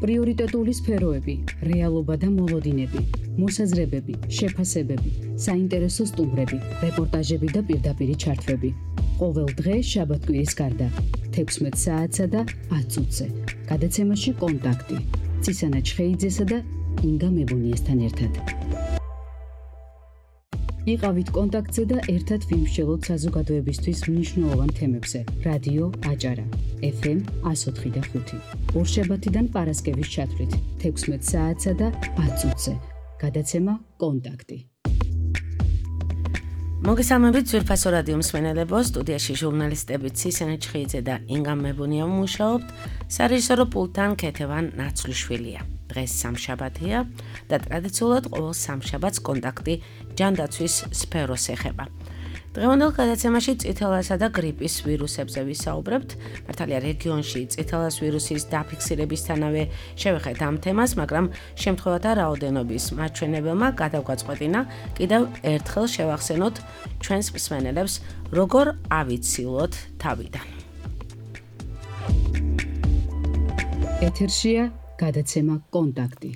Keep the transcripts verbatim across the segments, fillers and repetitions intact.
პრიორიტეტული სფეროები, რეალობა და მოლოდინები, მოსაზრებები, შეფასებები, საინტერესო სტუმრები, რეპორტაჟები და პირდაპირი ჩართვები. ყოველ დღე შაბათ-კვირის გარდა, თექვსმეტ საათსა და ათ წუთზე. გადაცემაში კონტაქტი. ცისანა ჩხეიძესა და ინგა მებუნიესთან ერთად. იყავით კონტაქტზე და ერთად ვიმსჯელოთ საზოგადოებისთვის მნიშვნელოვან თემებზე. რადიო აჭარა, ეფ ემ εκατო ოთხი და ხუთი. ორშაბათიდან პარასკევის ჩათვლით, თექვსმეტ საათსა და ათ წუთზე. გადაცემა კონტაქტი. მოგესალმებით ძვირფასო რადიო მსმენელებო, სტუდიაში ჟურნალისტები ცისანა ჩხეიძე და ინგა მებუნია მუშაობთ, სარეჟისორო პულტთან ქეთევან ნაცვლიშვილია. დღეს სამშაბათია და ტრადიციულად ყოველ სამშაბათს კონტაქტი ჯანდაცვის სფეროს ეხება. დღევანდელ გადაცემაში წითელასა და გრიპის ვირუსებზე ვისაუბრებთ. მართალია რეგიონში წითელას ვირუსის დაფიქსირებისთანავე შევეხეთ ამ თემას, მაგრამ შემთხვევათა რაოდენობის მაჩვენებელმა გადავგვაწყვეტინა კიდევ ერთხელ შევახსენოთ ჩვენს მსმენელებს, როგორ ავიცილოთ თავიდან. ეთერშია გადაცემა კონტაქტი.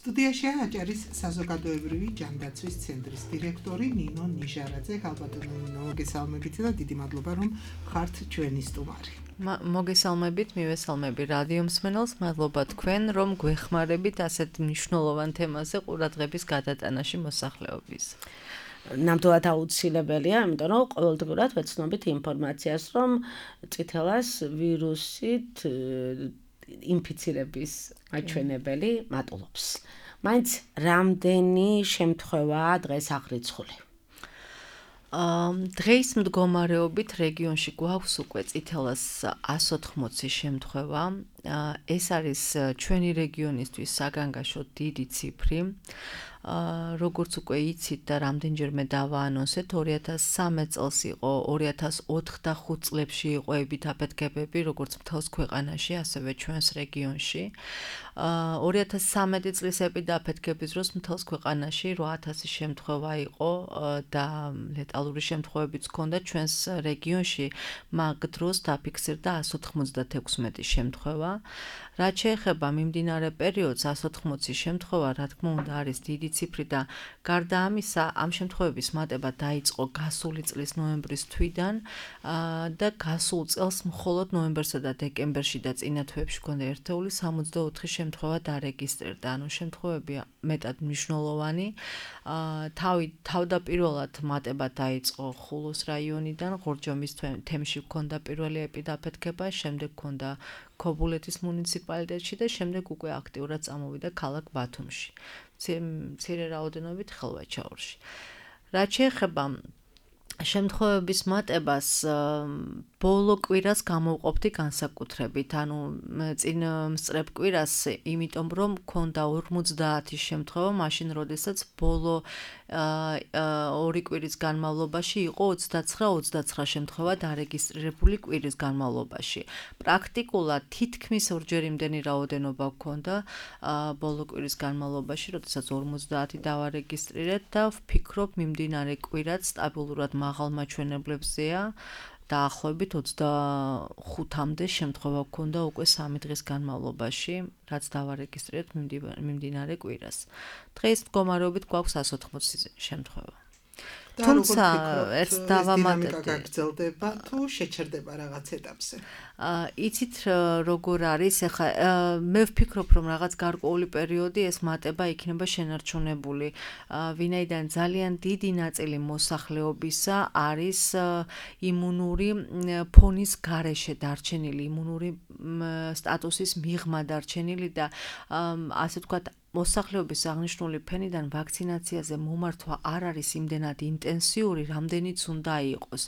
სტუდიაში აჭარის საზოგადოებრივი ჯანდაცვის ცენტრის დირექტორი ნინო ნიჟარაძე. ხალბატონო ნინო, მოგესალმებით და დიდი მადლობა რომ ხართ ჩვენი სტუმარი. მოგესალმებით, მივესალმები რადიო მსმენელს, მადლობა თქვენ რომ გვეხმარებით ასეთ მნიშვნელოვან თემაზე ყურადღების გადატანაში მოსახლეობის. ნამდვილად აუცილებელია, იმიტომ რომ ყოველდღურად ვეცნობით ინფორმაციას, რომ წითელას ვირუსით ინფიცირების მაჩვენებელი მატულობს. მაინც რამდენი შემთხვევაა დღეს აღრიცხული? დღეის მდგომარეობით რეგიონში გვაქვს უკვე წითელას ას ოთხმოცი შემთხვევა. ეს არის ჩვენი რეგიონისთვის საგანგაშო დიდი ციფრი. როგორც უკვე იცით და რამდენჯერმე დავაანონსეთ, ორი ათას სამი წელს იყო, ორი ათას ოთხ და ხუთ წლებში იყო ებით აფეთქებები, როგორც მთელს ქვეყანაში, ასევე ჩვენს რეგიონში. ორი ათას სამი წლის ებით აფეთქების დროს მთელს ქვეყანაში რვა ათასი შემთხვევა იყო და ლეტალური შემთხვევებიც ჰქონდა ჩვენს რეგიონში, მაგ დროს დაფიქსირდა ას ოთხმოცდათექვსმეტი შემთხვევა. რაც შეეხება მიმდინარე პერიოდს, ას ოთხმოცი შემთხვევა, რა თქმა უნდა, არის დიდი ციფრი და გარდა ამისა, ამ შემთხვევების მატება დაიწყო გასული წლის ნოემბრის თვიდან და გასულ წელს მხოლოდ ნოემბერსა და დეკემბერში და წინა თვეებში ჰქონდა ერთეული სამოცდაოთხი შემთხვევა დარეგისტრირდა. ანუ შემთხვევები მეტად მნიშვნელოვანი. თავი თავდაპირველად მატება დაიწყო ხულოს რაიონიდან, ღორჯომის თემში ჰქონდა პირველი ეპიდაფეთქება, შემდეგ ჰქონდა ქობულეთის მუნიციპალიტეტში და შემდეგ უკვე აქტიურად წამოვიდა ქალაქ ბათუმში. მცირე რაოდენობით ხელვაჩაურში. რაც შეეხება შემთხვევების მატებას, ბოლო კვირას გამოვყოფდი განსაკუთრებით, ანუ წინ მსწრებ კვირას, იმიტომ რომ ქონდა ორმოცდაათი შემთხვევა, მაშინ როდესაც ბოლო ორი კვირის განმავლობაში იყო ოცდაცხრა ოცდაცხრა შემთხვევა დარეგისტრირებული კვირის განმავლობაში. პრაქტიკულად თითქმის ორჯერ იმდენი რაოდენობა ჰქონდა ბოლო კვირის განმავლობაში, როდესაც ორმოცდაათი დავარეგისტრირეთ და ვფიქრობ მიმდინარე კვირაც სტაბილურად მაღალ მაჩვენებლებზეა. დაახლოებით ოცდახუთამდე შემთხვევა ჰქონდა უკვე სამი დღის განმავლობაში, რაც დავარეგისტრირეთ მიმდინარე კვირას. დღეს მდგომარეობით გვაქვს ას ოთხმოცი შემთხვევა. თუმცა ერთ დავამატეთ, გაგრძელდება თუ შეჩერდება რაღაც ეტაპზე. იცით როგორ არის, ეხლა მე ვფიქრობ რომ რაღაც გარკვეული პერიოდი ეს მატება იქნება შენარჩუნებული. ვინაიდან ძალიან დიდი ნაწილი მოსახლეობისა არის იმუნური ფონის გარეშე დარჩენილი, იმუნური სტატუსის მიღმა დარჩენილი და ასე ვთქვათ მოსახლეობის აღნიშნული ფენიდან ვაქცინაციაზე მომართვა არ არის იმდენად ინტენსიური, რამდენიც უნდა იყოს.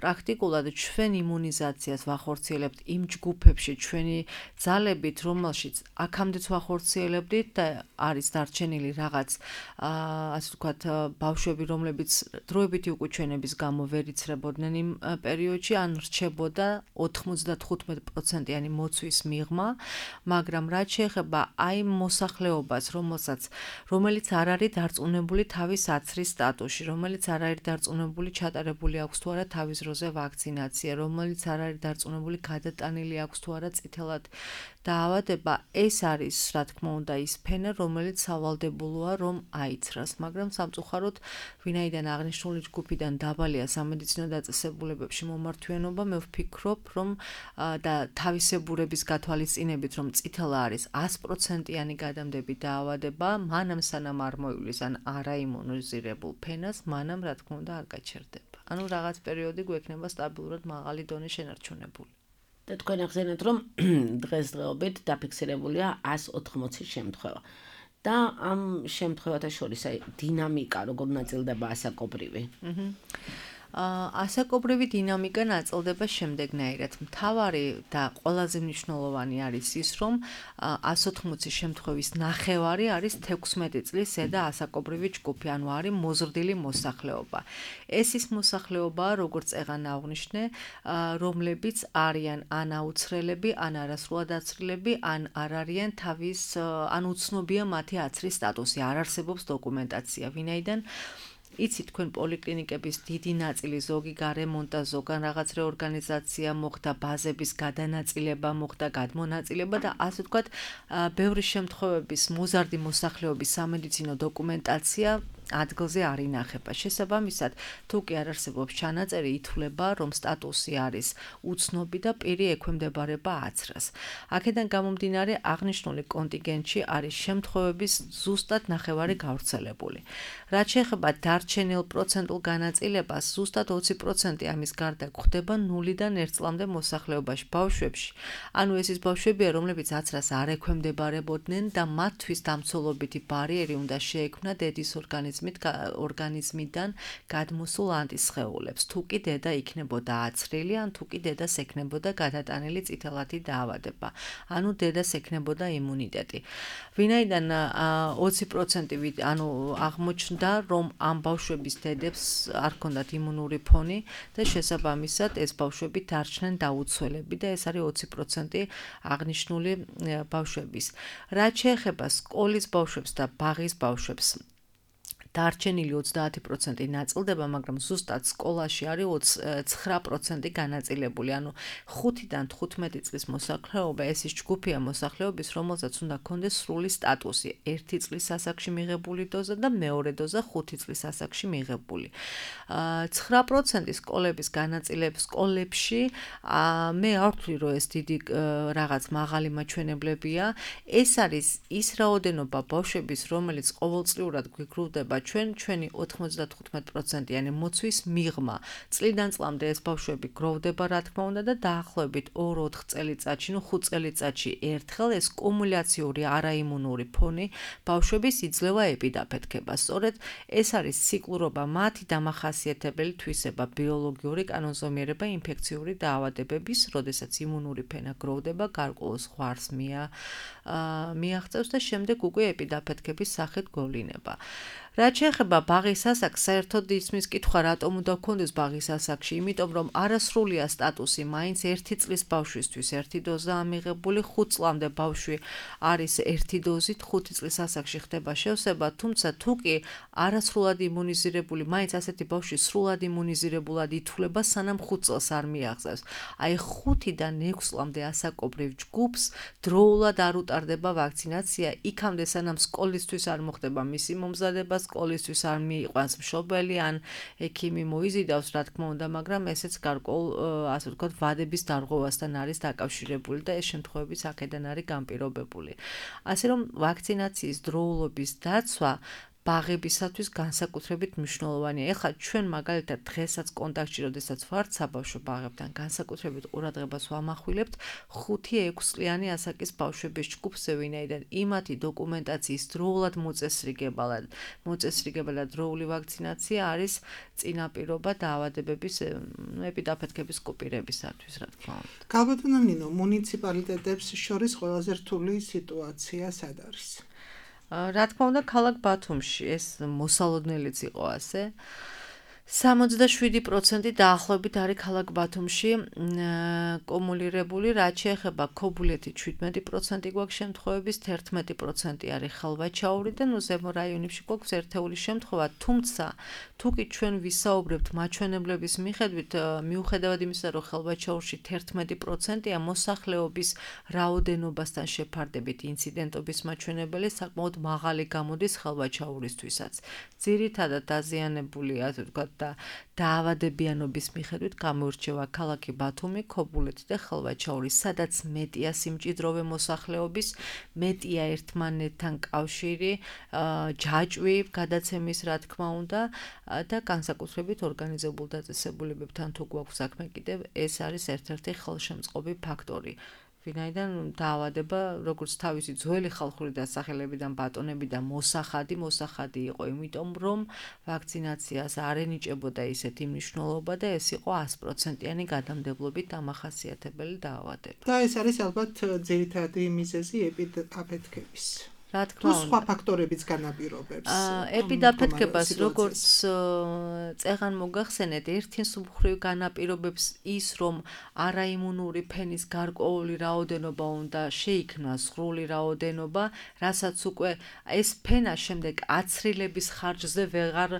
პრაქტიკულად ჩვენ იმუნიზაციას ვახორციელებთ იმ ჯგუფებში, ჩვენი ძალებით, რომელშიც აქამდეც ვახორციელებდით და არის დარჩენილი რაღაც, ასე ვთქვათ, ბავშვები, რომლებიც დროებითი უკუჩვენების გამო ვერ იცრებოდნენ იმ პერიოდში, ან რჩებოდა ოთხმოცდათხუთმეტ პროცენტიანი მოცვის მიღმა, მაგრამ რაც შეეხება აი მოსახლეობას, რომელსაც რომელიც არ არის დარწმუნებული თავის აცრის სტატუსში, რომელიც არ არის დარწმუნებული ჩატარებული აქვს თუ არა თავის დროზე ვაქცინაცია, რომელიც არ არის დარწმუნებული გადატანილი აქვს თუ არა წითელად დაავადება, ეს არის, რა თქმა უნდა, ის ფენა, რომელიც სავალდებულოა, რომ აიცრას, მაგრამ სამწუხაროდ, ვინაიდან აღნიშნული ჯგუფიდან დაბალია სამედიცინო დაწესებულებებში მომართვიანობა, მე ვფიქრობ, რომ და თავისებურების გათვალისწინებით, რომ წითელა არის ათი პროცენტიანი გადამდები დაავადება, მანამ სანამ არ მოივლის ან არაიმუნიზირებულ ფენას, მანამ რა თქმა უნდა არ გაჩერდება. ანუ რაღაც პერიოდი გვექნება სტაბილურად მაღალი დონის შენარჩუნებული. და თქვენ ახსენეთ, რომ დღესდღეობით დაფიქსირებულია ათი ოთხმოცი შემთხვევა. და ამ შემთხვევათა შორის აი დინამიკა როგორ ნაწილდება ასაკობრივი? აჰა. ასაკობრივი დინამიკა ნაწილდება შემდეგნაირად. მთავარი და ყველაზე მნიშვნელოვანი არის ის, რომ ათი ოთხმოცი შემთხვევის ნახევარი არის თექვსმეტი წლის ზედა ასაკობრივი ჯგუფი, ანუ არის მოზრდილი მოსახლეობა. ეს ის მოსახლეობაა, როგორც წეგან აღვნიშნე, რომლებიც არიან ან აუცხრელები, ან არასრულად აცრილები, ან არ არიან თავის, ან უცნობია მათი აცრის სტატუსი, არ არსებობს დოკუმენტაცია, ვინაიდან იცით თქვენ პოლიკლინიკების დიდი ნაწილი ზოგი გარემონტა, ზოგან რაღაც რეორგანიზაცია მოხდა, ბაზების გადანაწილება მოხდა, გადმონაწილება და ასე ვთქვათ, ბევრი შემთხვევების მოზარდი მოსახლეობის სამედიცინო დოკუმენტაცია ადგილზე არ ინახება. შესაბამისად, თუ კი არ არსებობს ჩანაწერი, ითვლება, რომ სტატუსი არის უცნობი და პირი ექვემდებარება აცრას. აქედან გამომდინარე, აღნიშნული კონტინგენტში არის შემთხვევების ზუსტად ნახევარი გავრცელებული. რაც შეეხება დარჩენილ პროცენტულ განაწილებას, ზუსტად ოცი პროცენტი ამის გარდა გვხდება ნულიდან ერთ წლამდე მოსახლეობაში, ბავშვებში. ანუ ეს ის ბავშვებია, რომლებიც აცრას არ ექვემდებარებოდნენ და მათთვის დამცველობითი ბარიერი უნდა შეექმნა დედის ორგანიზმში. ორგანიზმიდან გადმოსულ ანტისხეულებს, თუ კი დედა იქნებოდა აცრილი, ან თუ კი დედას ექნებოდა გადატანილი წითელადი დაავადება, ანუ დედას ექნებოდა იმუნიტეტი. ვინაიდან ოცი პროცენტი ანუ აღმოჩნდა, რომ ამ ბავშვების დედებს არ ჰქონდათ იმუნური ფონი და შესაბამისად ეს ბავშვები დარჩნენ დაუცველები და ეს არის ოცი პროცენტი აღნიშნული ბავშვების. რაც შეეხება სკოლის ბავშვებს და ბაღის ბავშვებს, დარჩენილი ოცდაათი პროცენტი ნაწილდება, მაგრამ ზუსტად სკოლაში არის ცხრა პროცენტი განაწილებული, ანუ ხუთიდან თხუთმეტი წლის მოსახლეობა ეს ის ჯგუფია მოსახლეობის, რომელსაც უნდა ჰქონდეს სრული სტატუსი, ერთი წლის ასაკში მიღებული დოზა და მეორე დოზა ხუთი წლის ასაკში მიღებული. ცხრა პროცენტი სკოლების განაწილების სკოლებში მე არ ვთვლი, რომ ეს დიდი რაღაც მაღალი მაჩვენებლებია, ეს არის ის რაოდენობა ბავშვების, რომელიც ყოველწლიურად გვიგროვდება ჩვენ ჩვენი ოთხმოცდათხუთმეტი პროცენტიანი მოცვის მიღმა. წლიდან წლამდე ეს ბავშვები გროვდება, რა თქმა უნდა და დაახლოებით ორ-ოთხ წელიწადში, ნუ ხუთ წელიწადში ერთხელ ეს კუმულაციური არაიმუნური ფონი ბავშვების იძლევა ეპიდაფეთქება. სწორედ ეს არის ციკლურობა, მათი დამახასიათებელი თვისება, ბიოლოგიური კანონზომიერება ინფექციური დაავადებების, როდესაც იმუნური ფენა გროვდება, გარკვეულ ზღვარს მიაღწევს და შემდეგ უკვე ეპიდაფეთქების სახით გვევლინება. რაც შეეხება ბაღის ასაკს, საერთოდ ისმის კითხვა რატომ უნდა გქონდეს ბაღის ასაკში, იმიტომ რომ არასრულია სტატუსი, მაინც ერთი წლის ბავშვისთვის ერთი დოზაა მიღებული, ხუთ წლამდე ბავშვი არის ერთი დოზით, ხუთი წლის ასაკში ხდება შევსება, თუმცა თუ კი არასრულად იმუნიზირებული, მაინც ასეთი ბავშვი სრულად იმუნიზირებულად ითვლება, სანამ ხუთ წელს არ მიაღწევს. აი ხუთიდან ექვს წლამდე ასაკობრივ ჯგუფს დროულად არ უტარდება ვაქცინაცია, იქამდე სანამ სკოლისთვის არ მოხდება მისი მომზადება, სკოლისთვის არ მიიყვანს მშობელი ან ექიმი მოიზიდავს, რა თქმა უნდა, მაგრამ ესეც გარკვეულ, ასე ვთქვათ, ვადების დარღვევასთან არის დაკავშირებული და ეს შემთხვევებიც აქედან არის განპირობებული. ასე რომ ვაქცინაციის დროულობის დაცვა ბაღებისათვის განსაკუთრებით მნიშვნელოვანია. ეხლა ჩვენ მაგალითად დღესაც კონტაქტში, როდესაც ვართ საბავშვო ბაღებთან, განსაკუთრებით ყურადღებას ვამახვილებთ ხუთი ექვს წლიანი ასაკის ბავშვების ჯგუფზე, ვინაიდან იმათი დოკუმენტაციის დროულად მოწესრიგებად, მოწესრიგებად დროული ვაქცინაცია არის წინაპირობა დაავადებების ეპიდაფეთქების კოპირებისათვის, რა თქმა უნდა. გალბატონო ნინო, მუნიციპალიტეტებს შორის ყველაზე რთული სიტუაცია სად არის? რა თქმა უნდა, ქალაქ ბათუმში ეს მოსალოდნელიც იყო ასე. სამოცდაშვიდი პროცენტი დაახლოებით არის ქალაქ ბათუმში კუმულირებული, რაც შეეხება ქობულეთი შვიდმეტი პროცენტი გვაქვს შემთხვევების, თერთმეტი პროცენტი არის ხალვაჩაური და ნუ ზემო რაიონებში გვაქვს ერთეული შემთხვევა, თუმცა თუ კი ჩვენ ვისაუბრებთ მაჩვენებლების მიხედვით, მიუხედავად იმისა, რომ ხალვაჩაურში თერთმეტი პროცენტია მოსახლეობის რაოდენობასთან შეფარდებით ინციდენტობის მაჩვენებელი საკმაოდ მაღალი გამოდის ხალვაჩაურისთვისაც. ძირითადად დაზიანებული, ასე ვთქვათ, და დაავადებიანობის მიხედვით გამოირჩევა ქალაქი ბათუმი, ქობულეთი და ხალვაჩაური, სადაც მეტია სიმჭიდროვე მოსახლეობის, მეტია ერთმანეთთან კავშირი, ჯაჭვი, გადაცემის რა თქმა უნდა და განსაკუთრებით ორგანიზებულ დაწესებულებებთან თუ გვაქვს საქმე კიდევ ეს არის ერთ-ერთი ხელშემწყობი ფაქტორი. ვინაიდან დაავადება, როგორც თავისი ძველი ხალხური დასახელებიდან ბატონებიდან მოსახადი, მოსახადი იყო, იმიტომ რომ ვაქცინაციას არ ენიჭებოდა ისეთი მნიშვნელობა და ეს იყო ას პროცენტიანი გადამდებლობით დამახასიათებელი დაავადება. და ეს არის ალბათ ძირითადი მიზეზი ეპიდაფეთქების. რა თქმა უნდა, სხვა ფაქტორებიც განაპირობებს. ეპიდაფეთქებას როგორც წეღან მოგახსენეთ, ერთი მსუბუქი განაპირობებს ის, რომ არაიმუნური ფენის გარკვეული რაოდენობა უნდა შეიქმნას, სრული რაოდენობა, რასაც უკვე ეს ფენა შემდეგ აცრილების ხარჯზე ვეღარ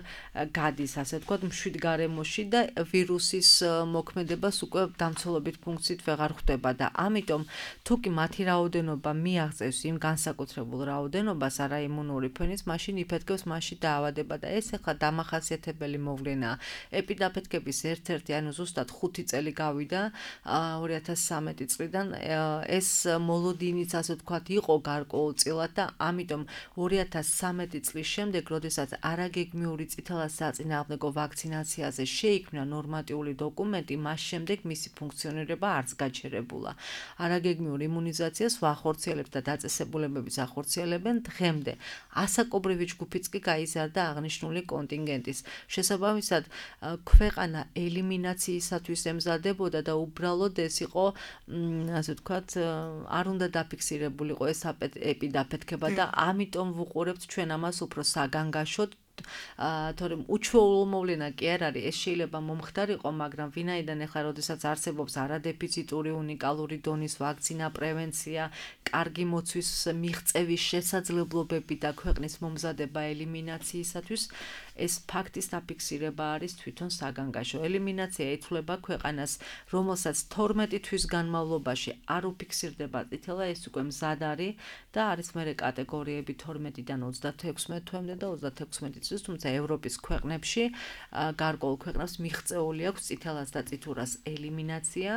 გადის, ასე ვთქვათ, მშვიდ გარემოში და ვირუსის მოქმედებას უკვე დამცველობით ფუნქციით ვეღარ ხვდება და ამიტომ თუ კი მათი რაოდენობა მიაღწევს იმ განსაკუთრებულ რაოდენობას არაიმუნური ფენის, მაშინ იფეთქებს, მაშინ დაავადება და ეს ახლა დამახასიათებელი მოვლენაა. ეპიდაფეთქების ერთ-ერთი, ანუ ზუსტად ხუთი წელი გავიდა ორი ათას სამი წლიდან ეს მოლოდინიც, ასე ვთქვათ, იყო გარკვეულწილად და ამიტომ ორი ათას სამი წლის შემდეგ, როდესაც არაგეგმიური წითელსაწინააღმდეგო ვაქცინაციაზე შეიქმნა ნორმატიული დოკუმენტი, მას შემდეგ მისი ფუნქციონირება არც გაჩერებულა. არაგეგმიურ იმუნიზაციას ვახორციელებთ და დაწესებულებების ახორციელებენ დღემდე. ასაკობრივი ჯგუფიც კი გაიზარდა აღნიშნული კონტინგენტის. შესაბამისად, ქვეყანა ელიმინაციისათვის ემზადებოდა და უბრალოდ ეს იყო, ასე ვთქვათ, არ უნდა დაფიქსირებულიყო ეს ეპიდაფეთქება და ამიტომ ვუყურებთ ჩვენ ამას უფრო საგანგაშოდ. თორემ უჩვეულო მოვლენა კი არ არის, ეს შეიძლება მომხდარიყო, მაგრამ ვინაიდან ახლა როდესაც არსებობს არადეფიციტური უნიკალური დონის ვაქცინა, პრევენცია, კარგი მოცვის მიღწევის შესაძლებლობები და ქვეყნის მომზადება ელიმინაციისათვის, ეს ფაქტის დაფიქსირება არის თვითონ საგანგაშო. ელიმინაცია ითვლება ქვეყანას, რომელსაც თორმეტი თვის განმავლობაში არ უფიქსირდება წითელა, ეს უკვე მზად არის და არის მერე კატეგორიები თორმეტიდან ოცდათექვსმეტ თვემდე და ოცდათექვსმეტი წლის, თუმცა ევროპის ქვეყნებში, გარკვეულ ქვეყნებს მიღწეული აქვს წითელას და წითურას ელიმინაცია,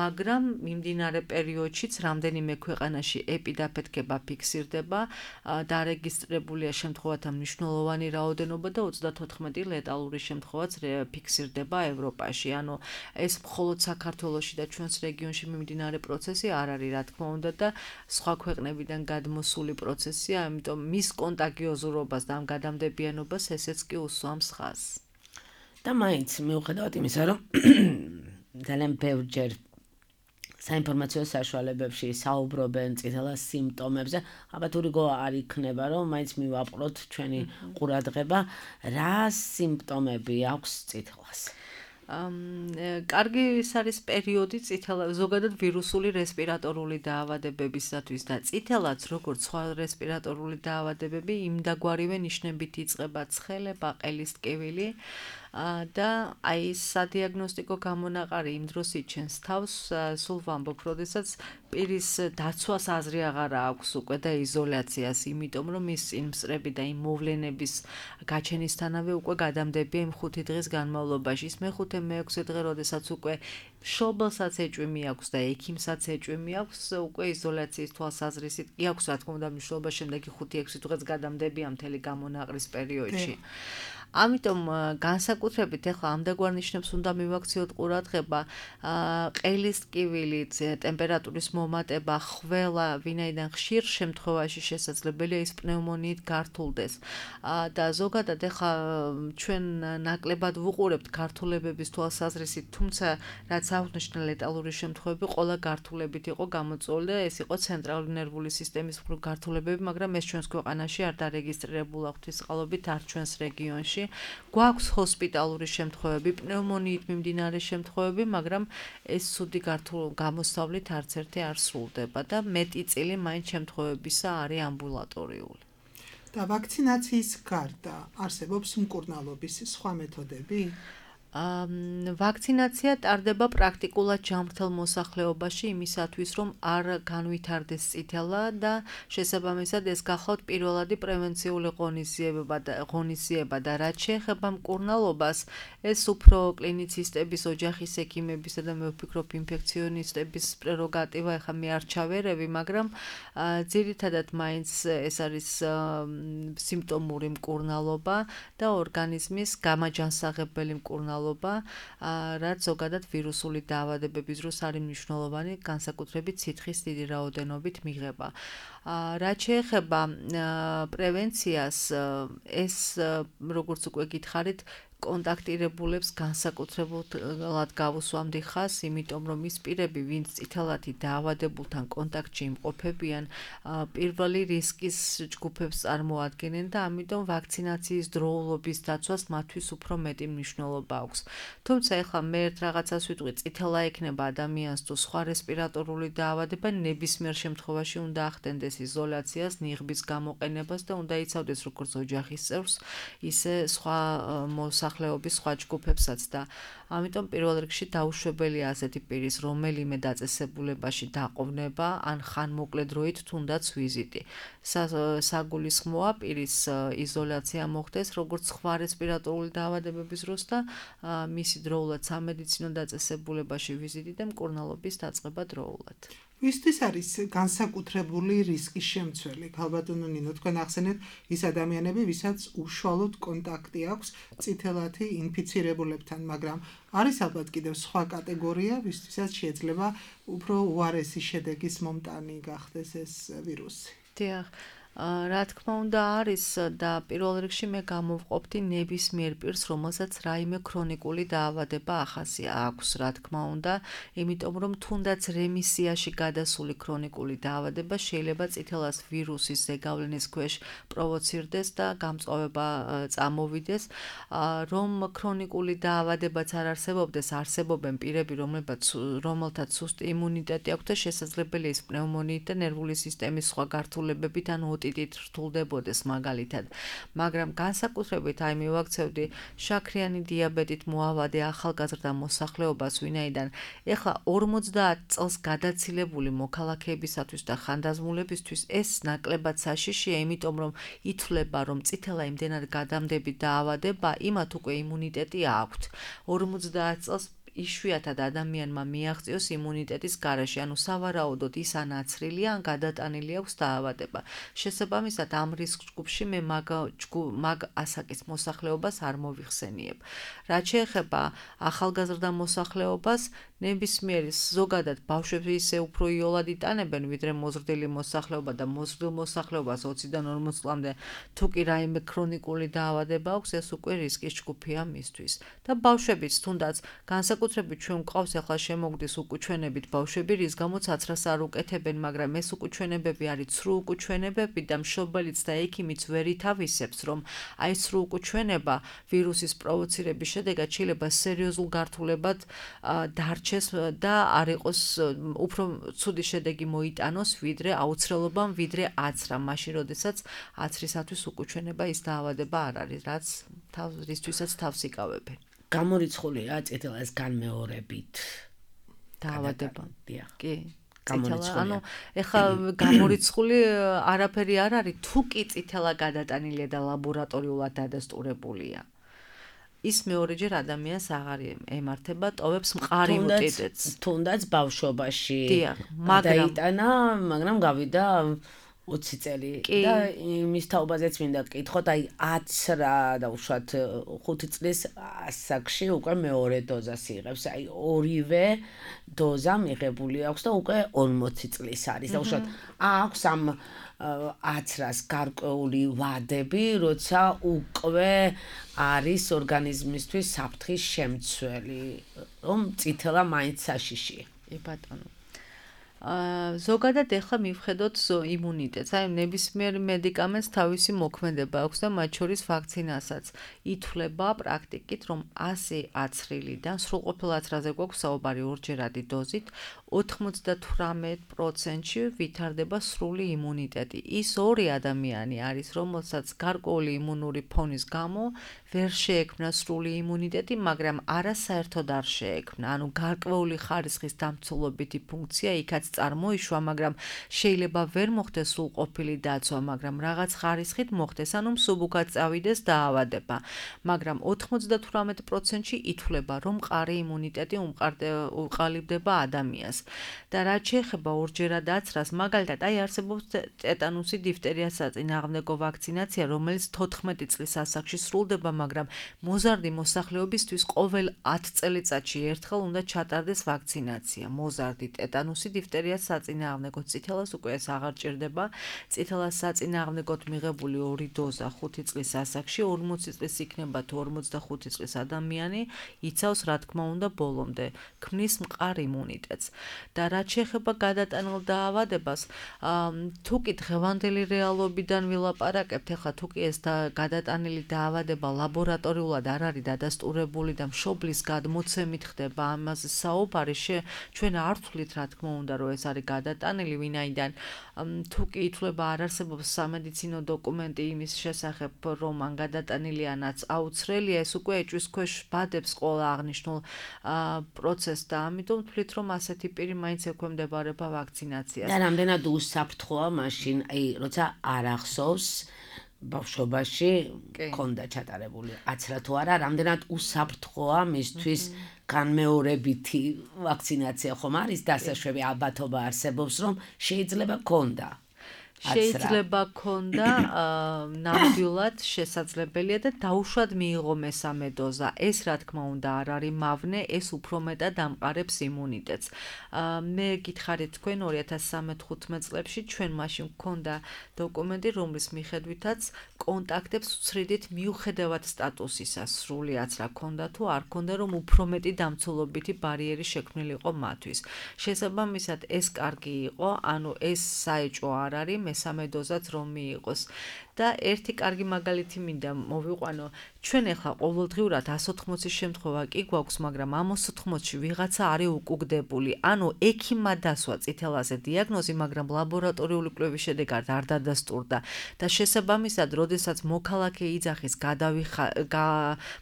მაგრამ მიმდინარე პერიოდშიც რამდენიმე ქვეყანაში ეპიდაფეთქება ფიქსირდება, დარეგისტრებულია შემთხვევათა მნიშვნელოვანი რაოდენობა და ოცდათოთხმეტი ლეტალური შემთხვევაც ფიქსირდება ევროპაში. ანუ ეს მხოლოდ საქართველოში და ჩვენს რეგიონში მიმდინარე პროცესი არ არის, რა თქმა უნდა, და სხვა ქვეყნებიდან გადმოსული პროცესია, ამიტომ მის კონტაგიოზურობას და ამ გადამდებიანობას ესეც კი უსვამს ხაზს. და მაინც მიუხედავად იმისა, რომ ძალიან ბევრჯერ საინფორმაციო საშუალებებში საუბრობენ წითელას სიმპტომებზე, ალბათ ურიგო არ იქნება, რომ მაინც მივაპყროთ ჩვენი ყურადღება, რა სიმპტომები აქვს წითელას. კარგი ის არის პერიოდი წითელა, ზოგადად ვირუსული რესპირატორული დაავადებებისათვის და წითელაც, როგორც სხვა რესპირატორული დაავადებები, იმდაგვარივე ნიშნებით იწყება ცხელება, ყელის ტკივილი და აი სადიაგნოსტიკო გამონაყარი იმ დროს იჩენს თავს, სულ ვამბობ, როდესაც პირის დაცვას აზრი აღარ აქვს უკვე და იზოლაციას, იმიტომ რომ ის იმ მწრები და იმ მოვლენების გაჩენისთანავე უკვე გადამდებია იმ ხუთი დღის განმავლობაში. ის მეხუთე მეექვსე დღე, როდესაც უკვე მშობელსაც ეჭვი აქვს და ექიმსაც ეჭვი აქვს, უკვე იზოლაციის თვალსაზრისით კი აქვს, რა თქმა უნდა, მნიშვნელობა შემდეგი ხუთი ექვსი დღეც გადამდებია მთელი გამონაყრის პერიოდში. ამიტომ განსაკუთრებით ახლა ამდაგვარ ნიშნებს უნდა მივაქციოთ ყურადღება, ყელის ტკივილით, ტემპერატურის მომატება, ხველა, ვინაიდან ხშირ შემთხვევაში შესაძლებელია ის პნევმონიით გართულდეს. და ზოგადად ახლა ჩვენ ნაკლებად ვუყურებთ გართულებების თვალსაზრისით, თუმცა რაც აღნიშნა ლეტალური შემთხვევები ყველა გართულებით იყო გამოწვეული და ეს იყო ცენტრალური ნერვული სისტემის გართულებები, მაგრამ ეს ჩვენს ქვეყანაში არ დარეგისტრირებულა ღვთისყალობით არ ჩვენს რეგიონში. გვაქვს ჰოსპიტალური შემთხვევები, პნევმონიით მიმდინარე შემთხვევები, მაგრამ ეს ცუდი გამოსავლით არც ერთი არ სრულდება და მეტი წილი მაინც შემთხვევებისა არის ამბულატორიული. და ვაქცინაციის გარდა არსებობს მკურნალობის სხვა მეთოდები? ვაქცინაცია ტარდება პრაქტიკულად ჯანმრთელ მოსახლეობაში იმისათვის, რომ არ განვითარდეს წითელა და შესაბამისად ეს გახლავთ პირველადი პრევენციული ღონისძიება და ღონისძიება და რაც შეეხება მკურნალობას, ეს უფრო კლინიცისტების, ოჯახის ექიმებისა და მე ვფიქრობ ინფექციონისტების პრეროგატივა, ეხლა მე არ ჩავერევი, მაგრამ ძირითადად მაინც ეს არის სიმპტომური მკურნალობა და ორგანიზმის გამაჯანსაღებელი მკურნალობა, რაც ზოგადად ვირუსული დაავადებების დროს არის მნიშვნელოვანი, განსაკუთრებით სითხის დიდი რაოდენობით მიღება. რაც შეეხება პრევენციას, ეს როგორც უკვე გითხარით, კონტაქტირებულებს განსაკუთრებულად გავუსვამდი ხაზს, იმიტომ რომ ის პირები, ვინც წითელათი დაავადებულთან კონტაქტში იმყოფებიან, პირველი რისკის ჯგუფებს წარმოადგენენ და ამიტომ ვაქცინაციის დროულობის დაცვას მათთვის უფრო მეტი მნიშვნელობა აქვს. თუმცა ეხლა მე ერთ რაღაცას ვიტყვი, წითელა ექნება ადამიანს თუ სხვა რესპირატორული დაავადება, ნებისმიერ შემთხვევაში უნდა ახდენდეს იზოლაციას, ნიღბის გამოყენებას და უნდა იცავდეს როგორც ოჯახის წევრს, ისე სხვა მოსახლეობის სხვა ჯგუფებსაც და ამიტომ პირველ რიგში დაუშვებელია ასეთი პირის რომელიმე დაწესებულებაში დაყოვნება ან ხანმოკლე დროით თუნდაც ვიზიტი. საგულისხმოა პირის იზოლაცია მოხდეს როგორც სხვა რესპირატორული დაავადებების დროს და მისი დროულად სამედიცინო დაწესებულებაში ვიზიტი და მკურნალობის დაწყება დროულად. ვისთვის არის განსაკუთრებული რისკის შემცველი? ქალბატონო ნინო, თქვენ ახსენეთ ის ადამიანები, ვისაც უშუალოდ კონტაქტი აქვს წითელათი ინფიცირებულებთან, მაგრამ არის ალბათ კიდევ სხვა კატეგორია, ვისთვისაც შეიძლება უფრო უარესი შედეგის მომტანი გახდეს ეს ვირუსი. დიახ. რა თქმა უნდა არის და პირველ რიგში მე გამოვყოფდი ნებისმიერ პირს, რომელსაც რაიმე ქრონიკული დაავადება ახასია აქვს, რა თქმა უნდა, იმიტომ რომ თუნდაც რემისიაში გადასული ქრონიკული დაავადება შეიძლება წითელას ვირუსის ზეგავლენის ქვეშ პროვოცირდეს და გამწვავება წამოვიდეს, რომ ქრონიკული დაავადებაც არ არსებობდეს, არსებობენ პირები, რომელთაც სუსტი იმუნიტეტი აქვს და შესაძლებელია ის პნევმონიით და ნერვული სისტემის სხვა გართულებებით ან ოტიტით რთულდებოდეს მაგალითად, მაგრამ განსაკუთრებით აი მივაქცევდი შაქრიანი დიაბეტით მოავადე ახალგაზრდა მოსახლეობას, ვინაიდან ეხლა ორმოცდაათ წელს გადაცილებული მოქალაქეებისათვის და ხანდაზმულებისთვის ეს ნაკლებად საშიშია, იმიტომ რომ ითვლება, რომ წითელა იმდენად გადამდები დაავადება, იმათ უკვე იმუნიტეტი აქვთ. ორმოცდაათ წელს იშვიათად ადამიანმა მიაღწიოს იმუნიტეტის გარეშე, ანუ სავარაუდოდ ის ან აცრილია, ან გადატანილი აქვს დაავადება. შესაბამისად, ამ რისკ ჯგუფში მე მაგ მაგ ასაკის მოსახლეობას არ მოვიხსენიებ. რაც შეეხება ახალგაზრდა მოსახლეობას, ნებისმიერი ზოგადად ბავშვები ისე უფრო იოლად იტანებენ, ვიდრე მოზრდილი მოსახლეობა და მოზრდილ მოსახლეობას ოციდან ორმოც წლამდე თუ კი რაიმე ქრონიკული დაავადება აქვს, ეს უკვე რისკის ჯგუფია მისთვის. და ბავშვებიც თუნდაც განსაკუთრებით ჩვენ გვყავს ახლა შემოგდის უკუჩვენებით ბავშვები, რის გამოც აცრას არ უკეთებენ, მაგრამ ეს უკუჩვენებები არის ცრუ უკუჩვენებები და მშობელიც და ექიმიც ვერ ითავისებს, რომ აი ცრუ უკუჩვენება ვირუსის პროვოცირების შედეგად შეიძლება სერიოზულ გართულებად დარჩეს და არ იყოს უფრო ცუდი შედეგი მოიტანოს, ვიდრე აუცილებლობამ, ვიდრე აცრა, მაშინ როდესაც აცრისათვის უკუჩვენება ის დაავადება არ არის, რაც რისთვისაც თავს იკავებენ. გამორიცხულია წითელას განმეორებით დაავადება. დიახ. კი. გამორიცხულია. ანუ ეხლა გამორიცხული არაფერი არ არის, თუ კი წითელა გადატანილია და ლაბორატორიულად დადასტურებულია. ის მეორეჯერ ადამიანს აღარ ემართება, ტოვებს მყარი უტიტეტს. თუნდაც ბავშვობაში დაიტანა, მაგრამ გავიდა ოცი წელი და იმის თაობაზეც მინდა გკითხოთ, აი აცრა და უშუალოდ ხუთი წლის ასაკში უკვე მეორე დოზას იღებს, აი ორივე დოზა მიღებული აქვს და უკვე ორმოცი წლის არის და უშუალოდ აქვს ამ აცრას გარკვეული ვადები, როცა უკვე არის ორგანიზმისთვის საფრთხის შემცველი, რომ წითელა მაინც საშიშია. ე ბატონო. ზოგადად ეხლა მივხედოთ იმუნიტეტს, აი ნებისმიერ მედიკამენტს თავისი მოქმედება აქვს და მათ შორის ვაქცინასაც ითვლება პრაქტიკით, რომ ასი აცრილიდან სრულყოფილ აცრაზე გვაქვს საუბარი ორჯერადი დოზით, ოთხმოცდათვრამეტ პროცენტში ვითარდება სრული იმუნიტეტი. ის ორი ადამიანი არის, რომელსაც გარკვეული იმუნური ფონის გამო ვერ შეექმნა სრული იმუნიტეტი, მაგრამ არასაერთოდ არ შეექმნა. ანუ გარკვეული ხარისხის დამცველობითი ფუნქცია იქაც წარმოიშვა, მაგრამ შეიძლება ვერ მოხდეს სრულყოფილი დაცვა, მაგრამ რაღაც ხარისხით მოხდეს, ანუ მსუბუქად წავიდეს დაავადება. მაგრამ ოთხმოცდათვრამეტ პროცენტში ითვლება, რომ მყარი იმუნიტეტი უყალიბდება ადამიანს. და რაც შეეხება ორჯერად აცრას, მაგალითად, აი არსებობს ტეტანუსი დიფტერია საწინააღმდეგო ვაქცინაცია, რომელიც თოთხმეტი წლის ასაკში სრულდება, მაგრამ მოზარდი მოსახლეობისთვის ყოველ ათ წელიწადში ერთხელ უნდა ჩატარდეს ვაქცინაცია. მოზარდი ტეტანუსი დიფტერია საწინააღმდეგო წითელას უკვე ეს აღარ ჭირდება. წითელას საწინააღმდეგოდ მიღებული ორი დოზა ხუთი წლის ასაკში, ორმოცი წლის იქნება თუ ორმოცდახუთი წლის ადამიანი იცავს, რა თქმა უნდა, ბოლომდე ქმნის მყარ იმუნიტეტს. და რაც შეეხება გადატანილ დაავადებას, თუ კი დღევანდელი რეალობიდან ვილაპარაკებთ, ახლა თუ კი ეს გადატანილი დაავადება ლაბორატორიულად არ არის დადასტურებული და მშობლის გადმოცემით ხდება ამაზე საუბარი, ჩვენ არ ვთვლით, რა თქმა უნდა, რომ ეს არის გადატანილი, ვინაიდან თუ კი ითვლება არ არსებობს სამედიცინო დოკუმენტი იმის შესახებ, რომ ან გადატანილიანაც აუცრელია, ეს უკვე ეჭვის ქვეშ ბადებს ყველა აღნიშნულ პროცესს და ამიტომ ვთვლით, რომ ასეთი პირი მაინც ექვემდებარება ვაქცინაციას. და რამდენად უსაფრთხოა მაშინ, აი, როცა არ ახსოვს ბავშვობაში ქონდა ჩატარებული აცრა თუ არა, რამდენად უსაფრთხოა მისთვის განმეორებითი ვაქცინაცია ხომ არის დასაშვები, ალბათობა არსებობს, რომ შეიძლება ქონდა. შეიძლება ქონდა ნამდვილად შესაძლებელია და დაუშვად მიიღო მესამე დოზა. ეს რა თქმა უნდა არ არის მავნე, ეს უფრო მეტად ამყარებს იმუნიტეტს. მე გითხარით თქვენ ორი ათას სამოცდახუთმეტ წლებში ჩვენ მაშინ გქონდა დოკუმენტი, რომლის მიხედვითაც კონტაქტებს ვცრიდით მიუხედავად სტატუსისა, სრული აცრა ქონდა თუ არ ქონდა, რომ უფრო მეტი დამცველობითი ბარიერი შექმნილიყო მათთვის. შესაბამისად ეს კარგი იყო, ანუ ეს საეჭვო არ არის მესამე დოზაც რომ მიიღოს. და ერთი კარგი მაგალითი მინდა მოვიყვანო. ჩვენ ახლა ყოველდღიურად ას ოთხმოცი შემთხვევა კი გვაქვს, მაგრამ ამ ას ოთხმოცში ვიღაცა არის უკუგდებული. ანუ ექიმმა დასვა წითელაზე დიაგნოზი, მაგრამ ლაბორატორიული კვლევის შედეგად არ დადასტურდა და შესაბამისად, როდესაც მოქალაქე იძახის